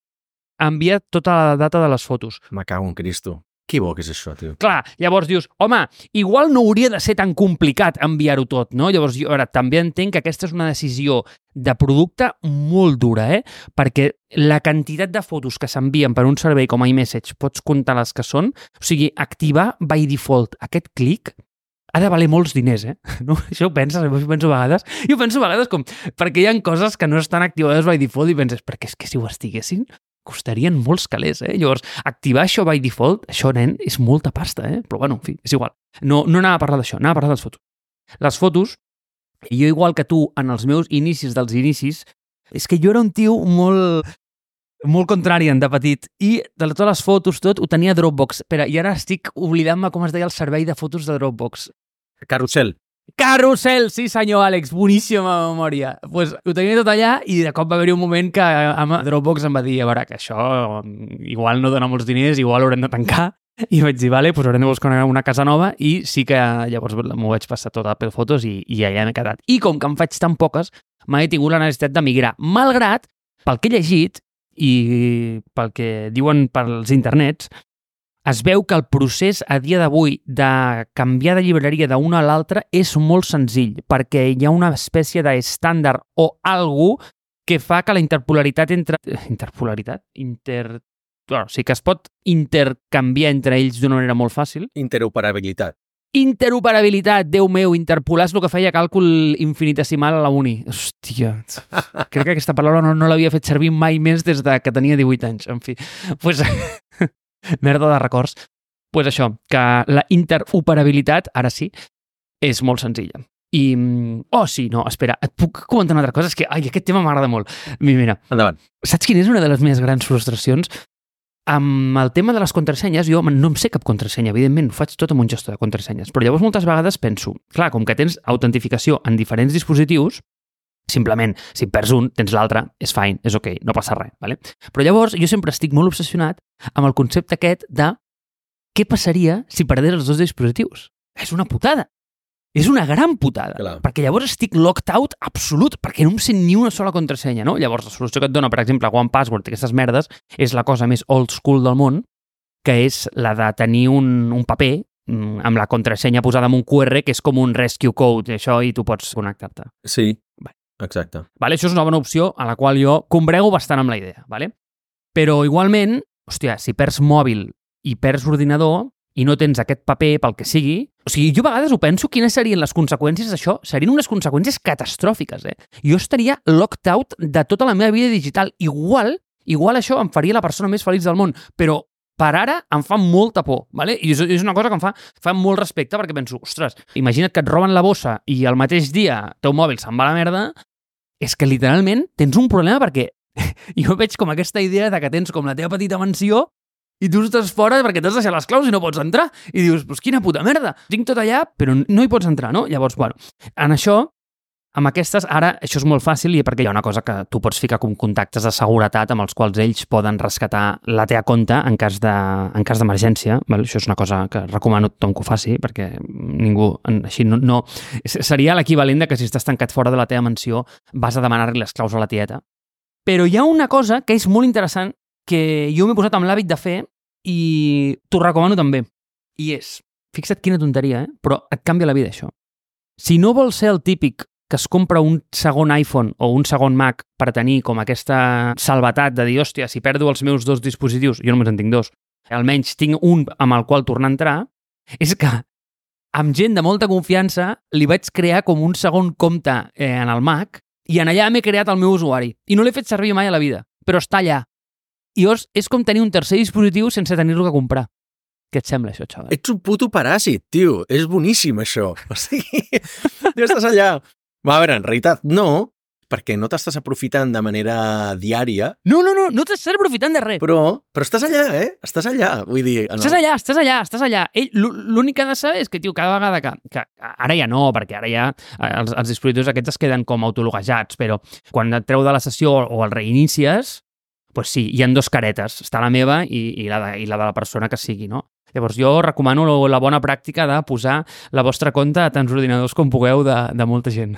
Envia tota la data de les fotos. Me cago en Cristo. Que bo que és això, tio. Clar, llavors dius, home, igual no hauria de ser tan complicat enviar-ho tot, no? Llavors, jo ara també entenc que aquesta és una decisió de producte molt dura, Perquè la quantitat de fotos que s'envien per un servei com iMessage, pots comptar les que són, o sigui, activar by default aquest clic ha de valer molts diners, No? Això ho penses, jo penso a vegades com, perquè hi ha coses que no estan activades by default i penses, perquè és que si ho estiguessin, costarien molts calés, Llavors, activar això by default, això, nen, és molta pasta, Però, bueno, en fi, és igual. No anava a parlar d'això, anava a parlar de les fotos. Les fotos, jo igual que tu, en els meus inicis dels inicis, és que jo era un tio molt contrarian de petit i de totes les fotos, tot, ho tenia a Dropbox. Espera, i ara estic oblidant-me com es deia el servei de fotos de Dropbox. Carrusel. Carrusel, sí senyor Àlex, boníssima memòria. Pues ho tenia tot allà i de cop va haver-hi un moment que Dropbox em va dir, a veure, que això igual no dona molts diners, igual haurem de tancar. I vaig dir, vale, pues haurem de buscar una casa nova i sí que llavors m'ho vaig passar tot a Apple Fotos i allà m'he quedat. I com que en faig tan poques, mai he tingut la necessitat de migrar. Malgrat, pel que he llegit i pel que diuen pels internets, es veu que el procés a dia d'avui de canviar de llibreria d'una a l'altra és molt senzill, perquè hi ha una espècie d'estàndard o algú que fa que la interpolaritat Bueno, sí que es pot intercanviar entre ells d'una manera molt fàcil. Interoperabilitat, Déu meu, interpolar és el que feia càlcul infinitesimal a la uni. Hòstia, crec que aquesta paraula no l'havia fet servir mai més des de que tenia 18 anys. En fi, pues, merda de records. Pues això, que la interoperabilitat, ara sí, és molt senzilla. I... Oh, sí, no, espera, et puc comentar una altra cosa? És que aquest tema m'agrada molt. Mira, endavant. saps quina és una de les meves grans frustracions? Amb el tema de les contrasenyes, jo no em sé cap contrasenya, evidentment, ho faig tot amb un gestor de contrasenyes, però llavors moltes vegades penso, clar, com que tens autentificació en diferents dispositius, simplement, si perds un, tens l'altre, és fine, és ok, no passa res, ¿vale? Però llavors jo sempre estic molt obsessionat amb el concepte aquest de què passaria si perdés els dos dispositius. És una putada. És una gran putada, Clar. perquè llavors estic locked out absolut, perquè no em sé ni una sola contrasenya, no? Llavors, la solució que et dona, per exemple, OnePassword i aquestes merdes, és la cosa més old school del món, que és la de tenir un paper amb la contrasenya posada amb un QR, que és com un rescue code, això, i tu pots connectar-te. Sí, exacte. Vale? Això és una bona opció a la qual jo combrego bastant amb la idea, vale? Però igualment, hòstia, si perds mòbil i perds ordinador i no tens aquest paper pel que sigui, o sigui, jo a vegades ho penso, quines serien les conseqüències d'això? Serien unes conseqüències catastròfiques, Jo estaria locked out de tota la meva vida digital. Igual això em faria la persona més feliç del món, però per ara em fa molta por, ¿vale? I és una cosa que em fa molt respecte, perquè penso, ostres, imagina't que et roben la bossa i el mateix dia el teu mòbil se'n va a la merda, és que literalment tens un problema perquè jo veig com aquesta idea de que tens com la teva petita mansió i tu estàs fora perquè t'has deixat les claus i no pots entrar. I dius, pues quina puta merda, tinc tot allà, però no hi pots entrar, no? Llavors, bueno, en això, amb aquestes, ara, això és molt fàcil i perquè hi ha una cosa que tu pots ficar com contactes de seguretat amb els quals ells poden rescatar la teva compte en cas d'emergència. Això és una cosa que recomano a tothom que ho faci, perquè ningú, així no seria l'equivalent de que si estàs tancat fora de la teva mansió vas a demanar-li les claus a la tieta. Però hi ha una cosa que és molt interessant que jo m'he posat amb l'hàbit de fer i t'ho recomano també. I és, fixa't quina tonteria, però et canvia la vida, això. Si no vols ser el típic que es compra un segon iPhone o un segon Mac per tenir com aquesta salvetat de dir, hòstia, si perdo els meus dos dispositius, jo només en tinc dos, almenys tinc un amb el qual tornar a entrar, és que amb gent de molta confiança li vaig crear com un segon compte en el Mac i en allà m'he creat el meu usuari. I no l'he fet servir mai a la vida, però està allà. I llavors és com tenir un tercer dispositiu sense tenir-lo que comprar. Què et sembla, això, xaval? Ets un puto paràsit, tio. És boníssim, això. O sigui, tu estàs allà. A veure, en realitat, no, perquè no t'estàs aprofitant de manera diària. No t'estàs aprofitant de res. Però estàs allà, Estàs allà, vull dir... Estàs allà. L'únic que ha de saber és que, tio, cada vegada que ara ja no, perquè ara ja els dispositius aquests es queden com autologuejats, però quan et treu de la sessió o el reinicies, pues sí, hi ha dos caretes. Està la meva i la de la persona que sigui, no? Llavors jo recomano la bona pràctica de posar la vostra compte a tants ordinadors com pugueu de molta gent.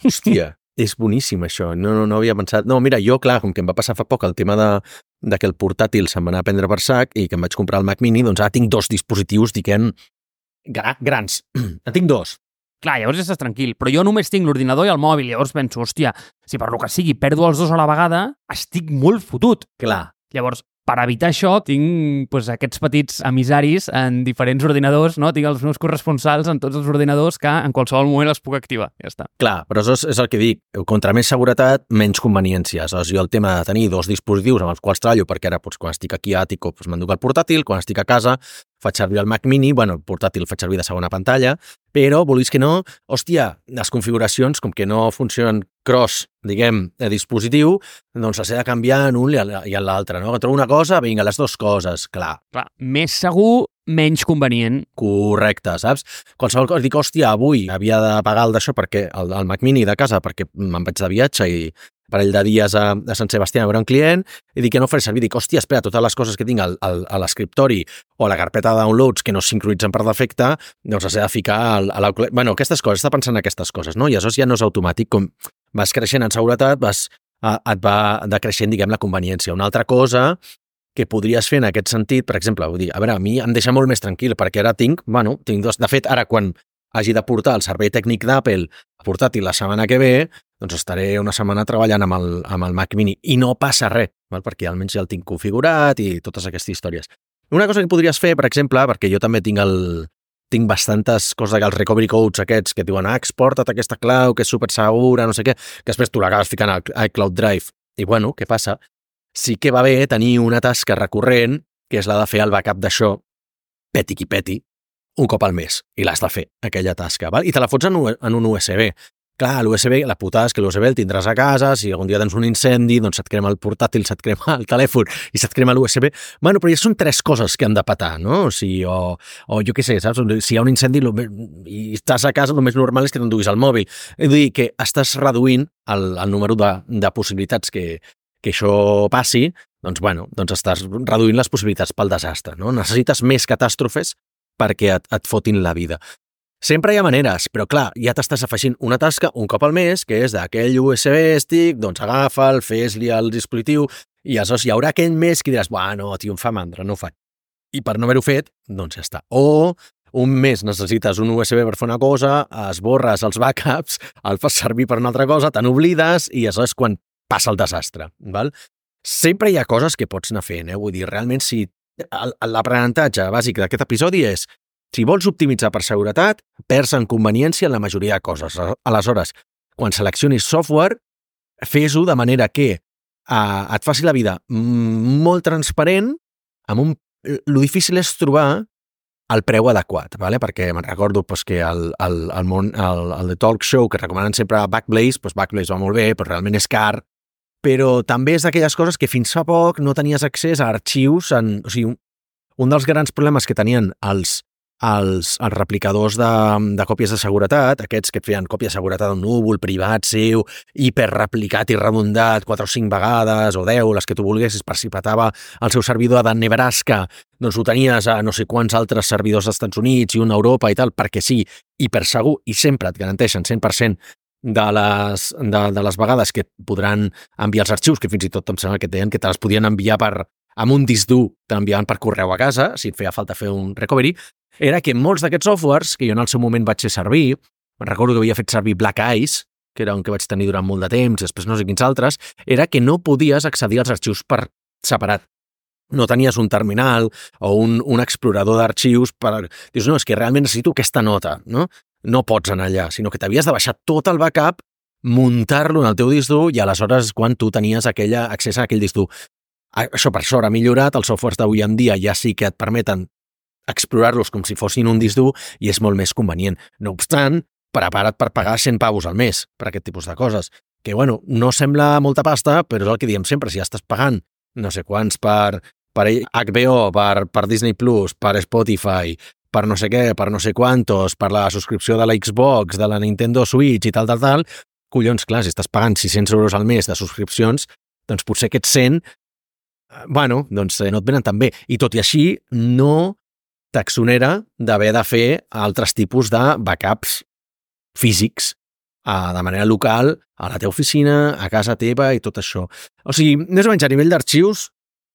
Hòstia, és boníssim això. No havia pensat... No, mira, jo, clar, com que em va passar fa poc el tema de que el portàtil se'm va anar a prendre per sac i que em vaig comprar el Mac Mini, doncs ara tinc dos dispositius, diguem, grans. En tinc dos. Clar, llavors estàs tranquil, però jo només tinc l'ordinador i el mòbil, llavors penso, hòstia, si per lo que sigui perdo els dos a la vegada, estic molt fotut. Clar. Llavors, per evitar això, tinc aquests petits emissaris en diferents ordinadors, no? Tinc els meus corresponsals en tots els ordinadors que en qualsevol moment els puc activar. Ja està. Clar, però això és el que dic. Contra més seguretat, menys conveniències. Jo el tema de tenir 2 dispositius amb els quals treballo, perquè ara quan estic aquí a Àtico m'enduc el portàtil, quan estic a casa faig servir el Mac Mini, el portàtil faig servir de segona pantalla, però, vulguis que no, hòstia, les configuracions, com que no funcionen cross, diguem, de dispositiu, doncs s'ha de canviar en un i en l'altre, no? Que trobo una cosa, vinga, les 2 coses, clar. Més segur, menys convenient. Correcte, saps? Qualsevol cosa, dic, hòstia, avui havia de pagar el d'això perquè el Mac Mini de casa perquè me'n vaig de viatge i parell de dies a Sant Sebastià a veure un client i dic que no faré servir, dic, hòstia, espera, totes les coses que tinc a l'escriptori o a la carpeta de downloads que no es sincronitzen per defecte, doncs s'ha de ficar a l'Outlook. Bueno, aquestes coses, està pensant en aquestes coses, no? I això ja no és automàtic, com vas creixent en seguretat, et va decreixent, diguem, la conveniència. Una altra cosa que podries fer en aquest sentit, per exemple, vull dir, a veure, a mi em deixa molt més tranquil, perquè ara tinc 2... De fet, ara quan hagi de portar el servei tècnic d'Apple portàtil la setmana que ve, doncs estaré una setmana treballant amb el Mac Mini i no passa res, perquè almenys ja el tinc configurat i totes aquestes històries. Una cosa que podries fer, per exemple, perquè jo també tinc bastantes coses, els recovery codes aquests que diuen exporta't aquesta clau, que és super segura, no sé què, que després tu l'acabes ficant al iCloud Drive. I bueno, què passa? Sí que va bé tenir una tasca recurrent, que és la de fer el backup d'això, peti qui peti, un cop al mes, i l'has de fer, aquella tasca, val? I te la fots en un USB. Clar, l'USB, la putada és que l'USB el tindràs a casa, si algun dia tens un incendi, doncs se't crema el portàtil, se't crema el telèfon i se't crema l'USB. Bueno, però ja són 3 coses que han de petar, no? O jo què sé, saps? Si hi ha un incendi i estàs a casa, el més normal és que t'enduguis el mòbil. És a dir, que estàs reduint el número de possibilitats que això passi, doncs estàs reduint les possibilitats pel desastre, no? Necessites més catàstrofes perquè et fotin la vida. Sempre hi ha maneres, però clar, ja t'estàs afegint una tasca un cop al mes, que és d'aquell USB stick, doncs agafa'l, fes-li al dispositiu, i aleshores hi haurà aquell mes que diràs, no, tio, em fa mandra, no ho faig. I per no haver-ho fet, doncs ja està. O un mes necessites un USB per fer una cosa, esborres els backups, el fas servir per una altra cosa, te n'oblides, i aleshores quan passa el desastre, val? Sempre hi ha coses que pots anar fent, Vull dir, realment, si l'aprenentatge bàsic d'aquest episodi és si vols optimitzar per seguretat, perds en conveniència en la majoria de coses. Aleshores, quan seleccionis software, fes-ho de manera que et faci la vida molt transparent, lo difícil és trobar el preu adequat, ¿vale? Perquè me'n recordo que el The Talk Show, que recomanen sempre Backblaze, Backblaze va molt bé, però realment és car, però també és d'aquelles coses que fins fa poc no tenies accés a arxius. O sigui, un dels grans problemes que tenien els replicadors de còpies de seguretat, aquests que et feien còpia de seguretat d'un núvol privat seu, hiperreplicat i redondat 4 o 5 vegades, o 10, les que tu volguessis, per si petava el seu servidor de Nebraska, doncs ho tenies a no sé quants altres servidors dels Estats Units i un a Europa i tal, perquè sí, hipersegur, i sempre et garanteixen 100% de les vegades que podran enviar els arxius, que fins i tot em sembla que deien que te les podien enviar amb un disc dur, te l'enviaven per correu a casa, si et feia falta fer un recovery, era que molts d'aquests softwares, que jo en el seu moment vaig fer servir, me'n recordo que havia fet servir Black Ice, que era un que vaig tenir durant molt de temps, després no sé quins altres, era que no podies accedir als arxius per separat. No tenies un terminal o un explorador d'arxius per... Dius, no, és que realment necessito aquesta nota, no? No pots anar allà, sinó que t'havies de baixar tot el backup, muntar-lo en el teu disc dur i aleshores quan tu tenies accés a aquell disc dur. Això per sort ha millorat, els softwares d'avui en dia ja sí que et permeten explorar-los com si fossin un disc dur i és molt més convenient. No obstant, prepara't per pagar 100 pavos al mes per aquest tipus de coses. Que, no sembla molta pasta, però és el que diem sempre, si ja estàs pagant no sé quants per HBO, per Disney+, per Spotify, per no sé què, per no sé quantos, per la subscripció de la Xbox, de la Nintendo Switch i tal, collons, clar, si estàs pagant 600 euros al mes de subscripcions, doncs potser aquests 100, doncs no et venen tan bé. I tot i així, no t'exonera d'haver de fer altres tipus de backups físics de manera local, a la teva oficina, a casa teva i tot això. O sigui, més o menys a nivell d'arxius,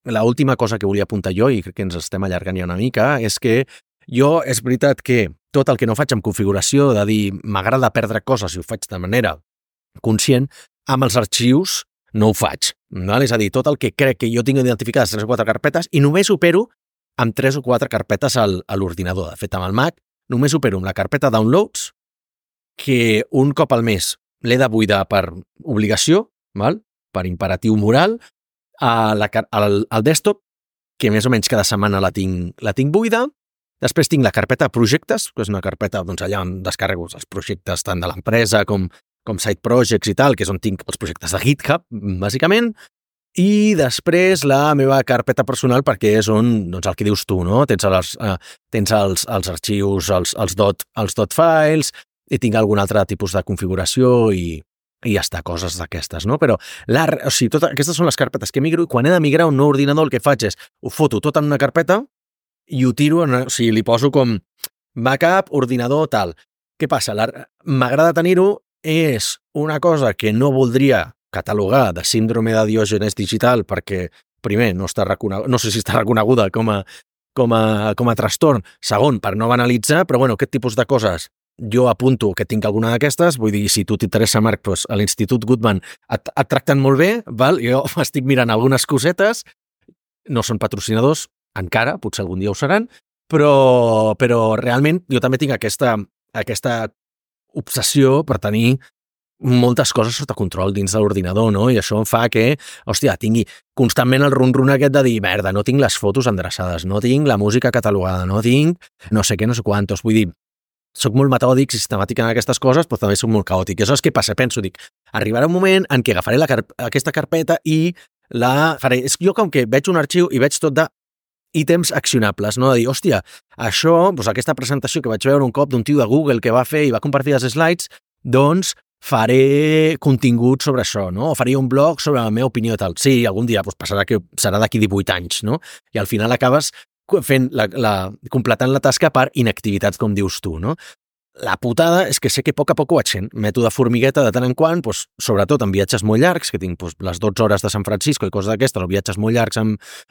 l'última cosa que volia apuntar jo, i crec que ens estem allargant ja una mica, és que jo és veritat que tot el que no faig amb configuració, de dir m'agrada perdre coses i ho faig de manera conscient, amb els arxius no ho faig. val? És a dir, tot el que crec que jo tinc identificades 3 o 4 carpetes i només opero amb 3 o 4 carpetes a l'ordinador. De fet, amb el Mac només opero amb la carpeta Downloads, que un cop al mes l'he de buidar per obligació, val? Per imperatiu moral, al desktop, que més o menys cada setmana la tinc buida. Després tinc la carpeta Projectes, que és una carpeta allà on descarrego els projectes tant de l'empresa com side projects i tal, que és on tinc els projectes de GitHub, bàsicament. I després la meva carpeta personal, perquè és on, el que dius tu, no? Tens els arxius, els dot files, i tinc algun altre tipus de configuració i ja està, coses d'aquestes, no? Però, aquestes són les carpetes que migro i quan he de migrar a un nou ordinador el que faig és, ho foto tot en una carpeta i ho tiro, li poso com backup, ordinador, tal. Què passa? M'agrada tenir-ho, és una cosa que no voldria catalogar de síndrome de Diògenes digital perquè, primer, no sé si està reconeguda com a trastorn, segon, per no banalitzar, però bueno, aquest tipus de coses jo apunto que tinc alguna d'aquestes, vull dir, si tu t'interessa, Marc, doncs a l'Institut Goodman et tracten molt bé, val? Jo estic mirant algunes cosetes, no són patrocinadors, encara, potser algun dia ho seran, però realment jo també tinc aquesta obsessió per tenir moltes coses sota control dins de l'ordinador, no? I això em fa que, tingui constantment el run-run aquest de dir, merda, no tinc les fotos endreçades, no tinc la música catalogada, no tinc no sé què, no sé quantos. Vull dir, soc molt metòdic, sistemàtic en aquestes coses, però també soc molt caòtic. I això és què passa? Penso, arribarà un moment en què agafaré aquesta carpeta i la faré. És jo com que veig un arxiu i veig tot de ítems accionables, no? De dir, això, aquesta presentació que vaig veure un cop d'un tio de Google que va fer i va compartir els slides, doncs faré contingut sobre això, no? O faré un blog sobre la meva opinió i tal. Sí, algun dia passarà que serà d'aquí 18 anys, no? I al final acabes completant la tasca per inactivitats, com dius tu, no? La putada és que sé que a poc ho vaig fent. Mètode formigueta de tant en quant, sobretot en viatges molt llargs, que tinc les 12 hores de San Francisco i coses d'aquestes, o viatges molt llargs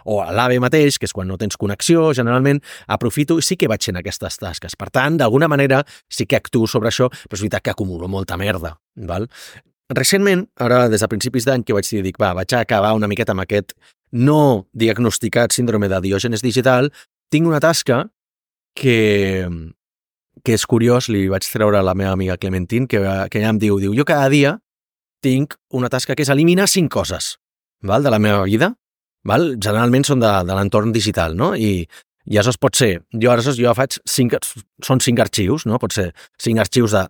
o a l'AVE mateix, que és quan no tens connexió, generalment aprofito i sí que vaig fent aquestes tasques. Per tant, d'alguna manera sí que actuo sobre això, però és veritat que acumulo molta merda, val? Recentment, ara des de principis d'any que vaig dir, vaig acabar una miqueta amb aquest no diagnosticat síndrome de Diògenes digital, tinc una tasca que és curiós, li vaig treure a la meva amiga Clementine, que ella em diu, jo cada dia tinc una tasca que és eliminar 5 coses, val, de la meva vida, val? Generalment són de l'entorn digital, no? I aleshores pot ser, jo faig 5 arxius, no? Pot ser 5 arxius de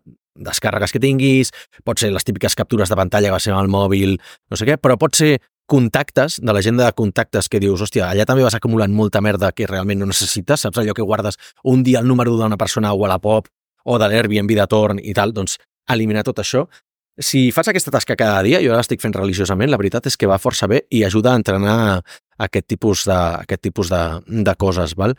descàrregues que tinguis, pot ser les típiques captures de pantalla que va ser amb el mòbil, no sé què, però pot ser contactes, de l'agenda de contactes que dius, allà també vas acumulant molta merda que realment no necessites, saps allò que guardes un dia el número d'una persona o a la pop o de l'Airbnb de torn i tal, doncs eliminar tot això. Si fas aquesta tasca cada dia, jo ara l'estic fent religiosament, la veritat és que va força bé i ajuda a entrenar aquest tipus de coses, val?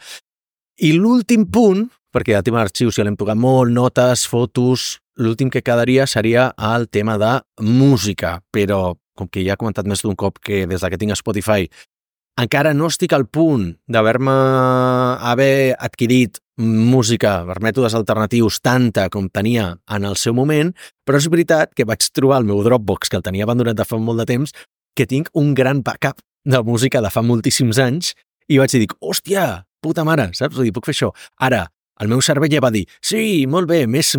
I l'últim punt, perquè el tema d'arxius ja l'hem tocat molt, notes, fotos, l'últim que quedaria seria el tema de música, però com que ja he comentat més d'un cop que des que tinc Spotify encara no estic al punt d'haver adquirit música per mètodes alternatius tanta com tenia en el seu moment, però és veritat que vaig trobar el meu Dropbox, que el tenia abandonat de fa molt de temps, que tinc un gran backup de música de fa moltíssims anys i vaig dir, puta mare, saps? Vull dir, puc fer això. Ara, el meu cervell ja va dir, sí, molt bé, més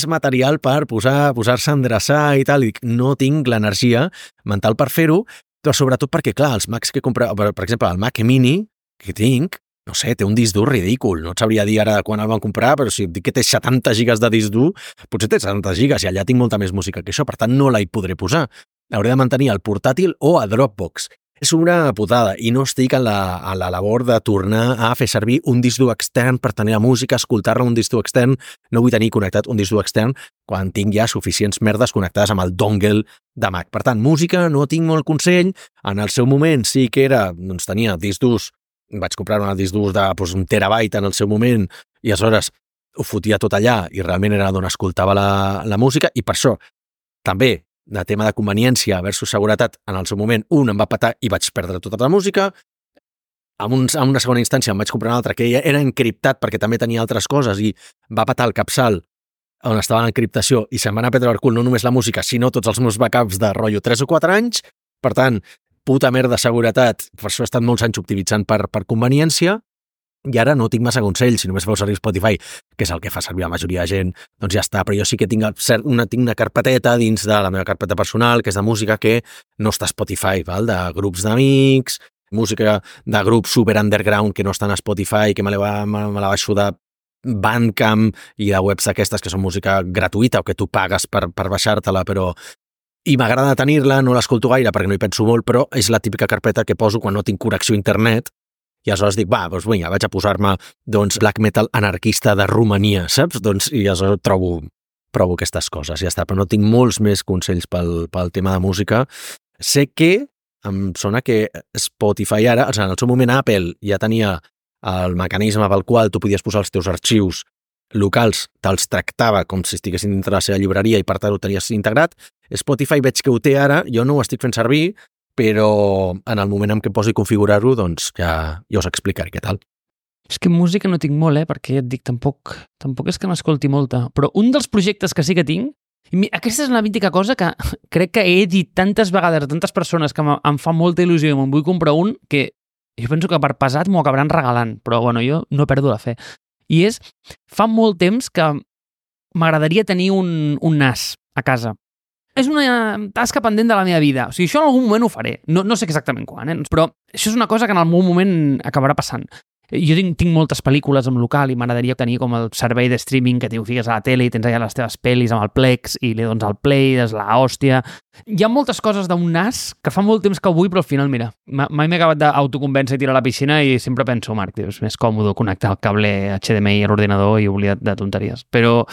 material per posar-se a endreçar i tal. I dic, no tinc l'energia mental per fer-ho, però sobretot perquè, clar, els Macs que compro, per exemple, el Mac Mini que tinc, no sé, té un disc dur ridícul. No et sabria dir ara quan el van comprar, però si et dic que té 70 gigas de disc dur, potser té 70 gigas i allà tinc molta més música que això, per tant no la hi podré posar. Hauré de mantenir al portàtil o a Dropbox. És una putada i no estic en la labor de tornar a fer servir un disc dur extern per tenir la música, escoltar-la un disc dur extern. No vull tenir connectat un disc dur extern quan tinc ja suficients merdes connectades amb el dongle de Mac. Per tant, música no tinc molt consell. En el seu moment sí que era, doncs tenia disc durs, vaig comprar un disc dur de un terabyte en el seu moment i aleshores ho fotia tot allà i realment era d'on escoltava la música i per això també de tema de conveniència versus seguretat, en el seu moment un em va petar i vaig perdre tota la música. En una segona instància em vaig comprar un altre que era encriptat perquè també tenia altres coses i va petar el capçal on estava l'encriptació i se'm van a perdre el cul no només la música, sinó tots els meus backups de rotllo 3 o 4 anys. Per tant, puta merda de seguretat. Per això he estat molts anys optimitzant per conveniència. I ara no tinc massa consells, si només feu servir Spotify, que és el que fa servir la majoria de gent, doncs ja està. Però jo sí que tinc una carpeteta dins de la meva carpeta personal, que és de música que no està a Spotify, val? De grups d'amics, música de grups super underground que no estan a Spotify, que me la baixo de Bandcamp i de webs d'aquestes que són música gratuïta o que tu pagues per baixar-te-la, però... I m'agrada tenir-la, no l'escolto gaire perquè no hi penso molt, però és la típica carpeta que poso quan no tinc connexió a internet. I aleshores dic, doncs vinga, vaig a posar-me black metal anarquista de Romania, saps? I aleshores provo aquestes coses, ja està. Però no tinc molts més consells pel tema de música. Sé que em sona que Spotify ara, en el seu moment Apple ja tenia el mecanisme pel qual tu podies posar els teus arxius locals, te'ls tractava com si estiguessin dintre la seva llibreria i per tant ho tenies integrat. Spotify veig que ho té ara, jo no ho estic fent servir, però en el moment en què posi configurar-ho, doncs ja us explicaré què tal. És que música no tinc molt, perquè ja et dic, tampoc és que m'escolti molta, però un dels projectes que sí que tinc, i aquesta és la mítica cosa que crec que he dit tantes vegades a tantes persones que em fa molta il·lusió i me'n vull comprar un, que jo penso que per pesat m'ho acabaran regalant, però bueno, jo no perdo la fe. I és, fa molt temps que m'agradaria tenir un NAS a casa. És una tasca pendent de la meva vida. O sigui, això en algun moment ho faré. No sé exactament quan, però això és una cosa que en algun moment acabarà passant. Jo tinc moltes pel·lícules en local i m'agradaria tenir com el servei de streaming que t'ho fiques a la tele i tens allà les teves pel·lis amb el Plex i li dones el play, és la hòstia. Hi ha moltes coses d'un NAS que fa molt temps que ho vull, però al final, mira, mai m'he acabat d'autoconvèncer i tirar a la piscina i sempre penso, Marc, és més còmode connectar el cable HDMI a l'ordinador i oblidar de tonteries. Però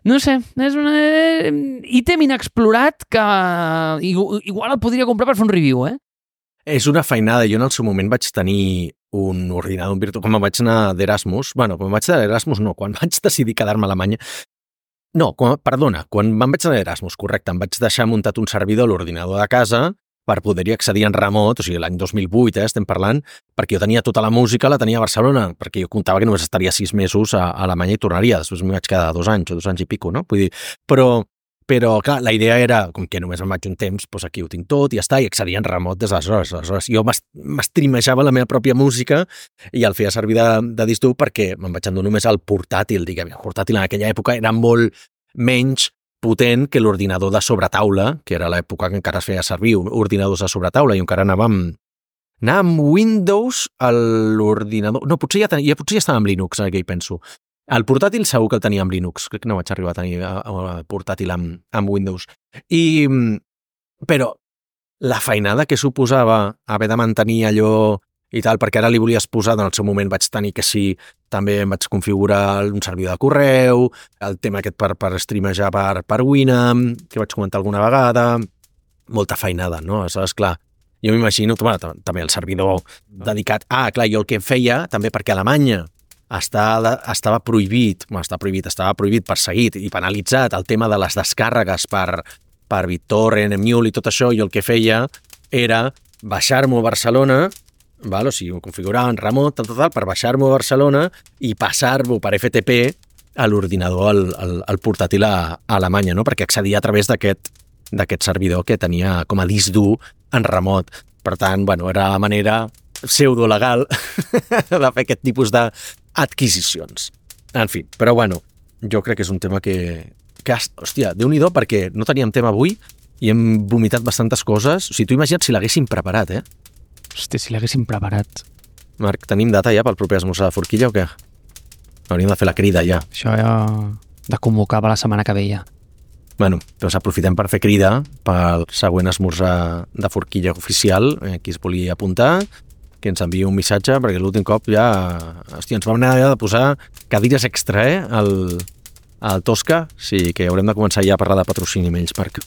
no sé, és un ítem inexplorat que igual el podria comprar per fer un review, És una feinada. Jo en el seu moment vaig tenir un ordinador virtual. Quan vaig anar d'Erasmus, quan vaig decidir quedar-me a Alemanya, quan vaig anar d'Erasmus, correcte, em vaig deixar muntat un servidor a l'ordinador de casa per poder-hi accedir en remot, o sigui, l'any 2008, estem parlant, perquè jo tenia tota la música, la tenia a Barcelona, perquè jo comptava que només estaria 6 mesos a Alemanya i tornaria, després m'hi vaig quedar 2 anys o 2 anys i pico, no? Vull dir, però clar, la idea era, com que només em vaig un temps, doncs aquí ho tinc tot i ja està, i accedia en remot des d'aleshores. Aleshores, jo m'estrimejava la meva pròpia música i el feia servir de disc dur perquè me'n vaig endur només al portàtil, diguem. El portàtil en aquella època era molt menys potent que l'ordinador de sobretaula, que era l'època que encara es feia servir ordinadors de sobretaula i encara anava amb Windows a l'ordinador. No, potser ja estava amb Linux, ara que hi penso. El portàtil segur que el tenia amb Linux, crec que no vaig arribar a tenir el portàtil amb Windows. Però la feinada que suposava haver de mantenir allò i tal, perquè ara li volies posar, en el seu moment vaig tenir que sí, també em vaig configurar un servidor de correu, el tema aquest per streamejar per Winamp, que vaig comentar alguna vegada, molta feinada, no? Aleshores, clar, jo m'imagino, també el servidor dedicat... Clar, jo el que feia, també perquè a Alemanya estava prohibit perseguit i penalitzat el tema de les descàrregues per BitTorrent, Emule i tot això, i el que feia era baixar-m'ho a Barcelona, o sigui, ho configurava en remot, per baixar-m'ho a Barcelona i passar-ho per FTP a l'ordinador, al portàtil a Alemanya, no? Perquè accedia a través d'aquest servidor que tenia com a disc dur en remot. Per tant, era la manera pseudolegal de fer aquest tipus d'adquisicions. En fi, però jo crec que és un tema que hòstia, Déu-n'hi-do, perquè no teníem tema avui i hem vomitat bastantes coses. O sigui, tu imagina't si l'haguéssim preparat, Hòstia, si l'haguéssim preparat. Marc, tenim data ja pel proper esmorzar de forquilla o què? Hauríem de fer la crida ja. Això ja de convocar per la setmana que ve ja. Doncs aprofitem per fer crida pel següent esmorzar de forquilla oficial, qui es volia apuntar, que ens enviï un missatge, perquè l'últim cop ja... Hòstia, ens vam anar de posar cadires extra, al Tosca, sí, que haurem de començar ja a parlar de patrocini amb ells, Marc.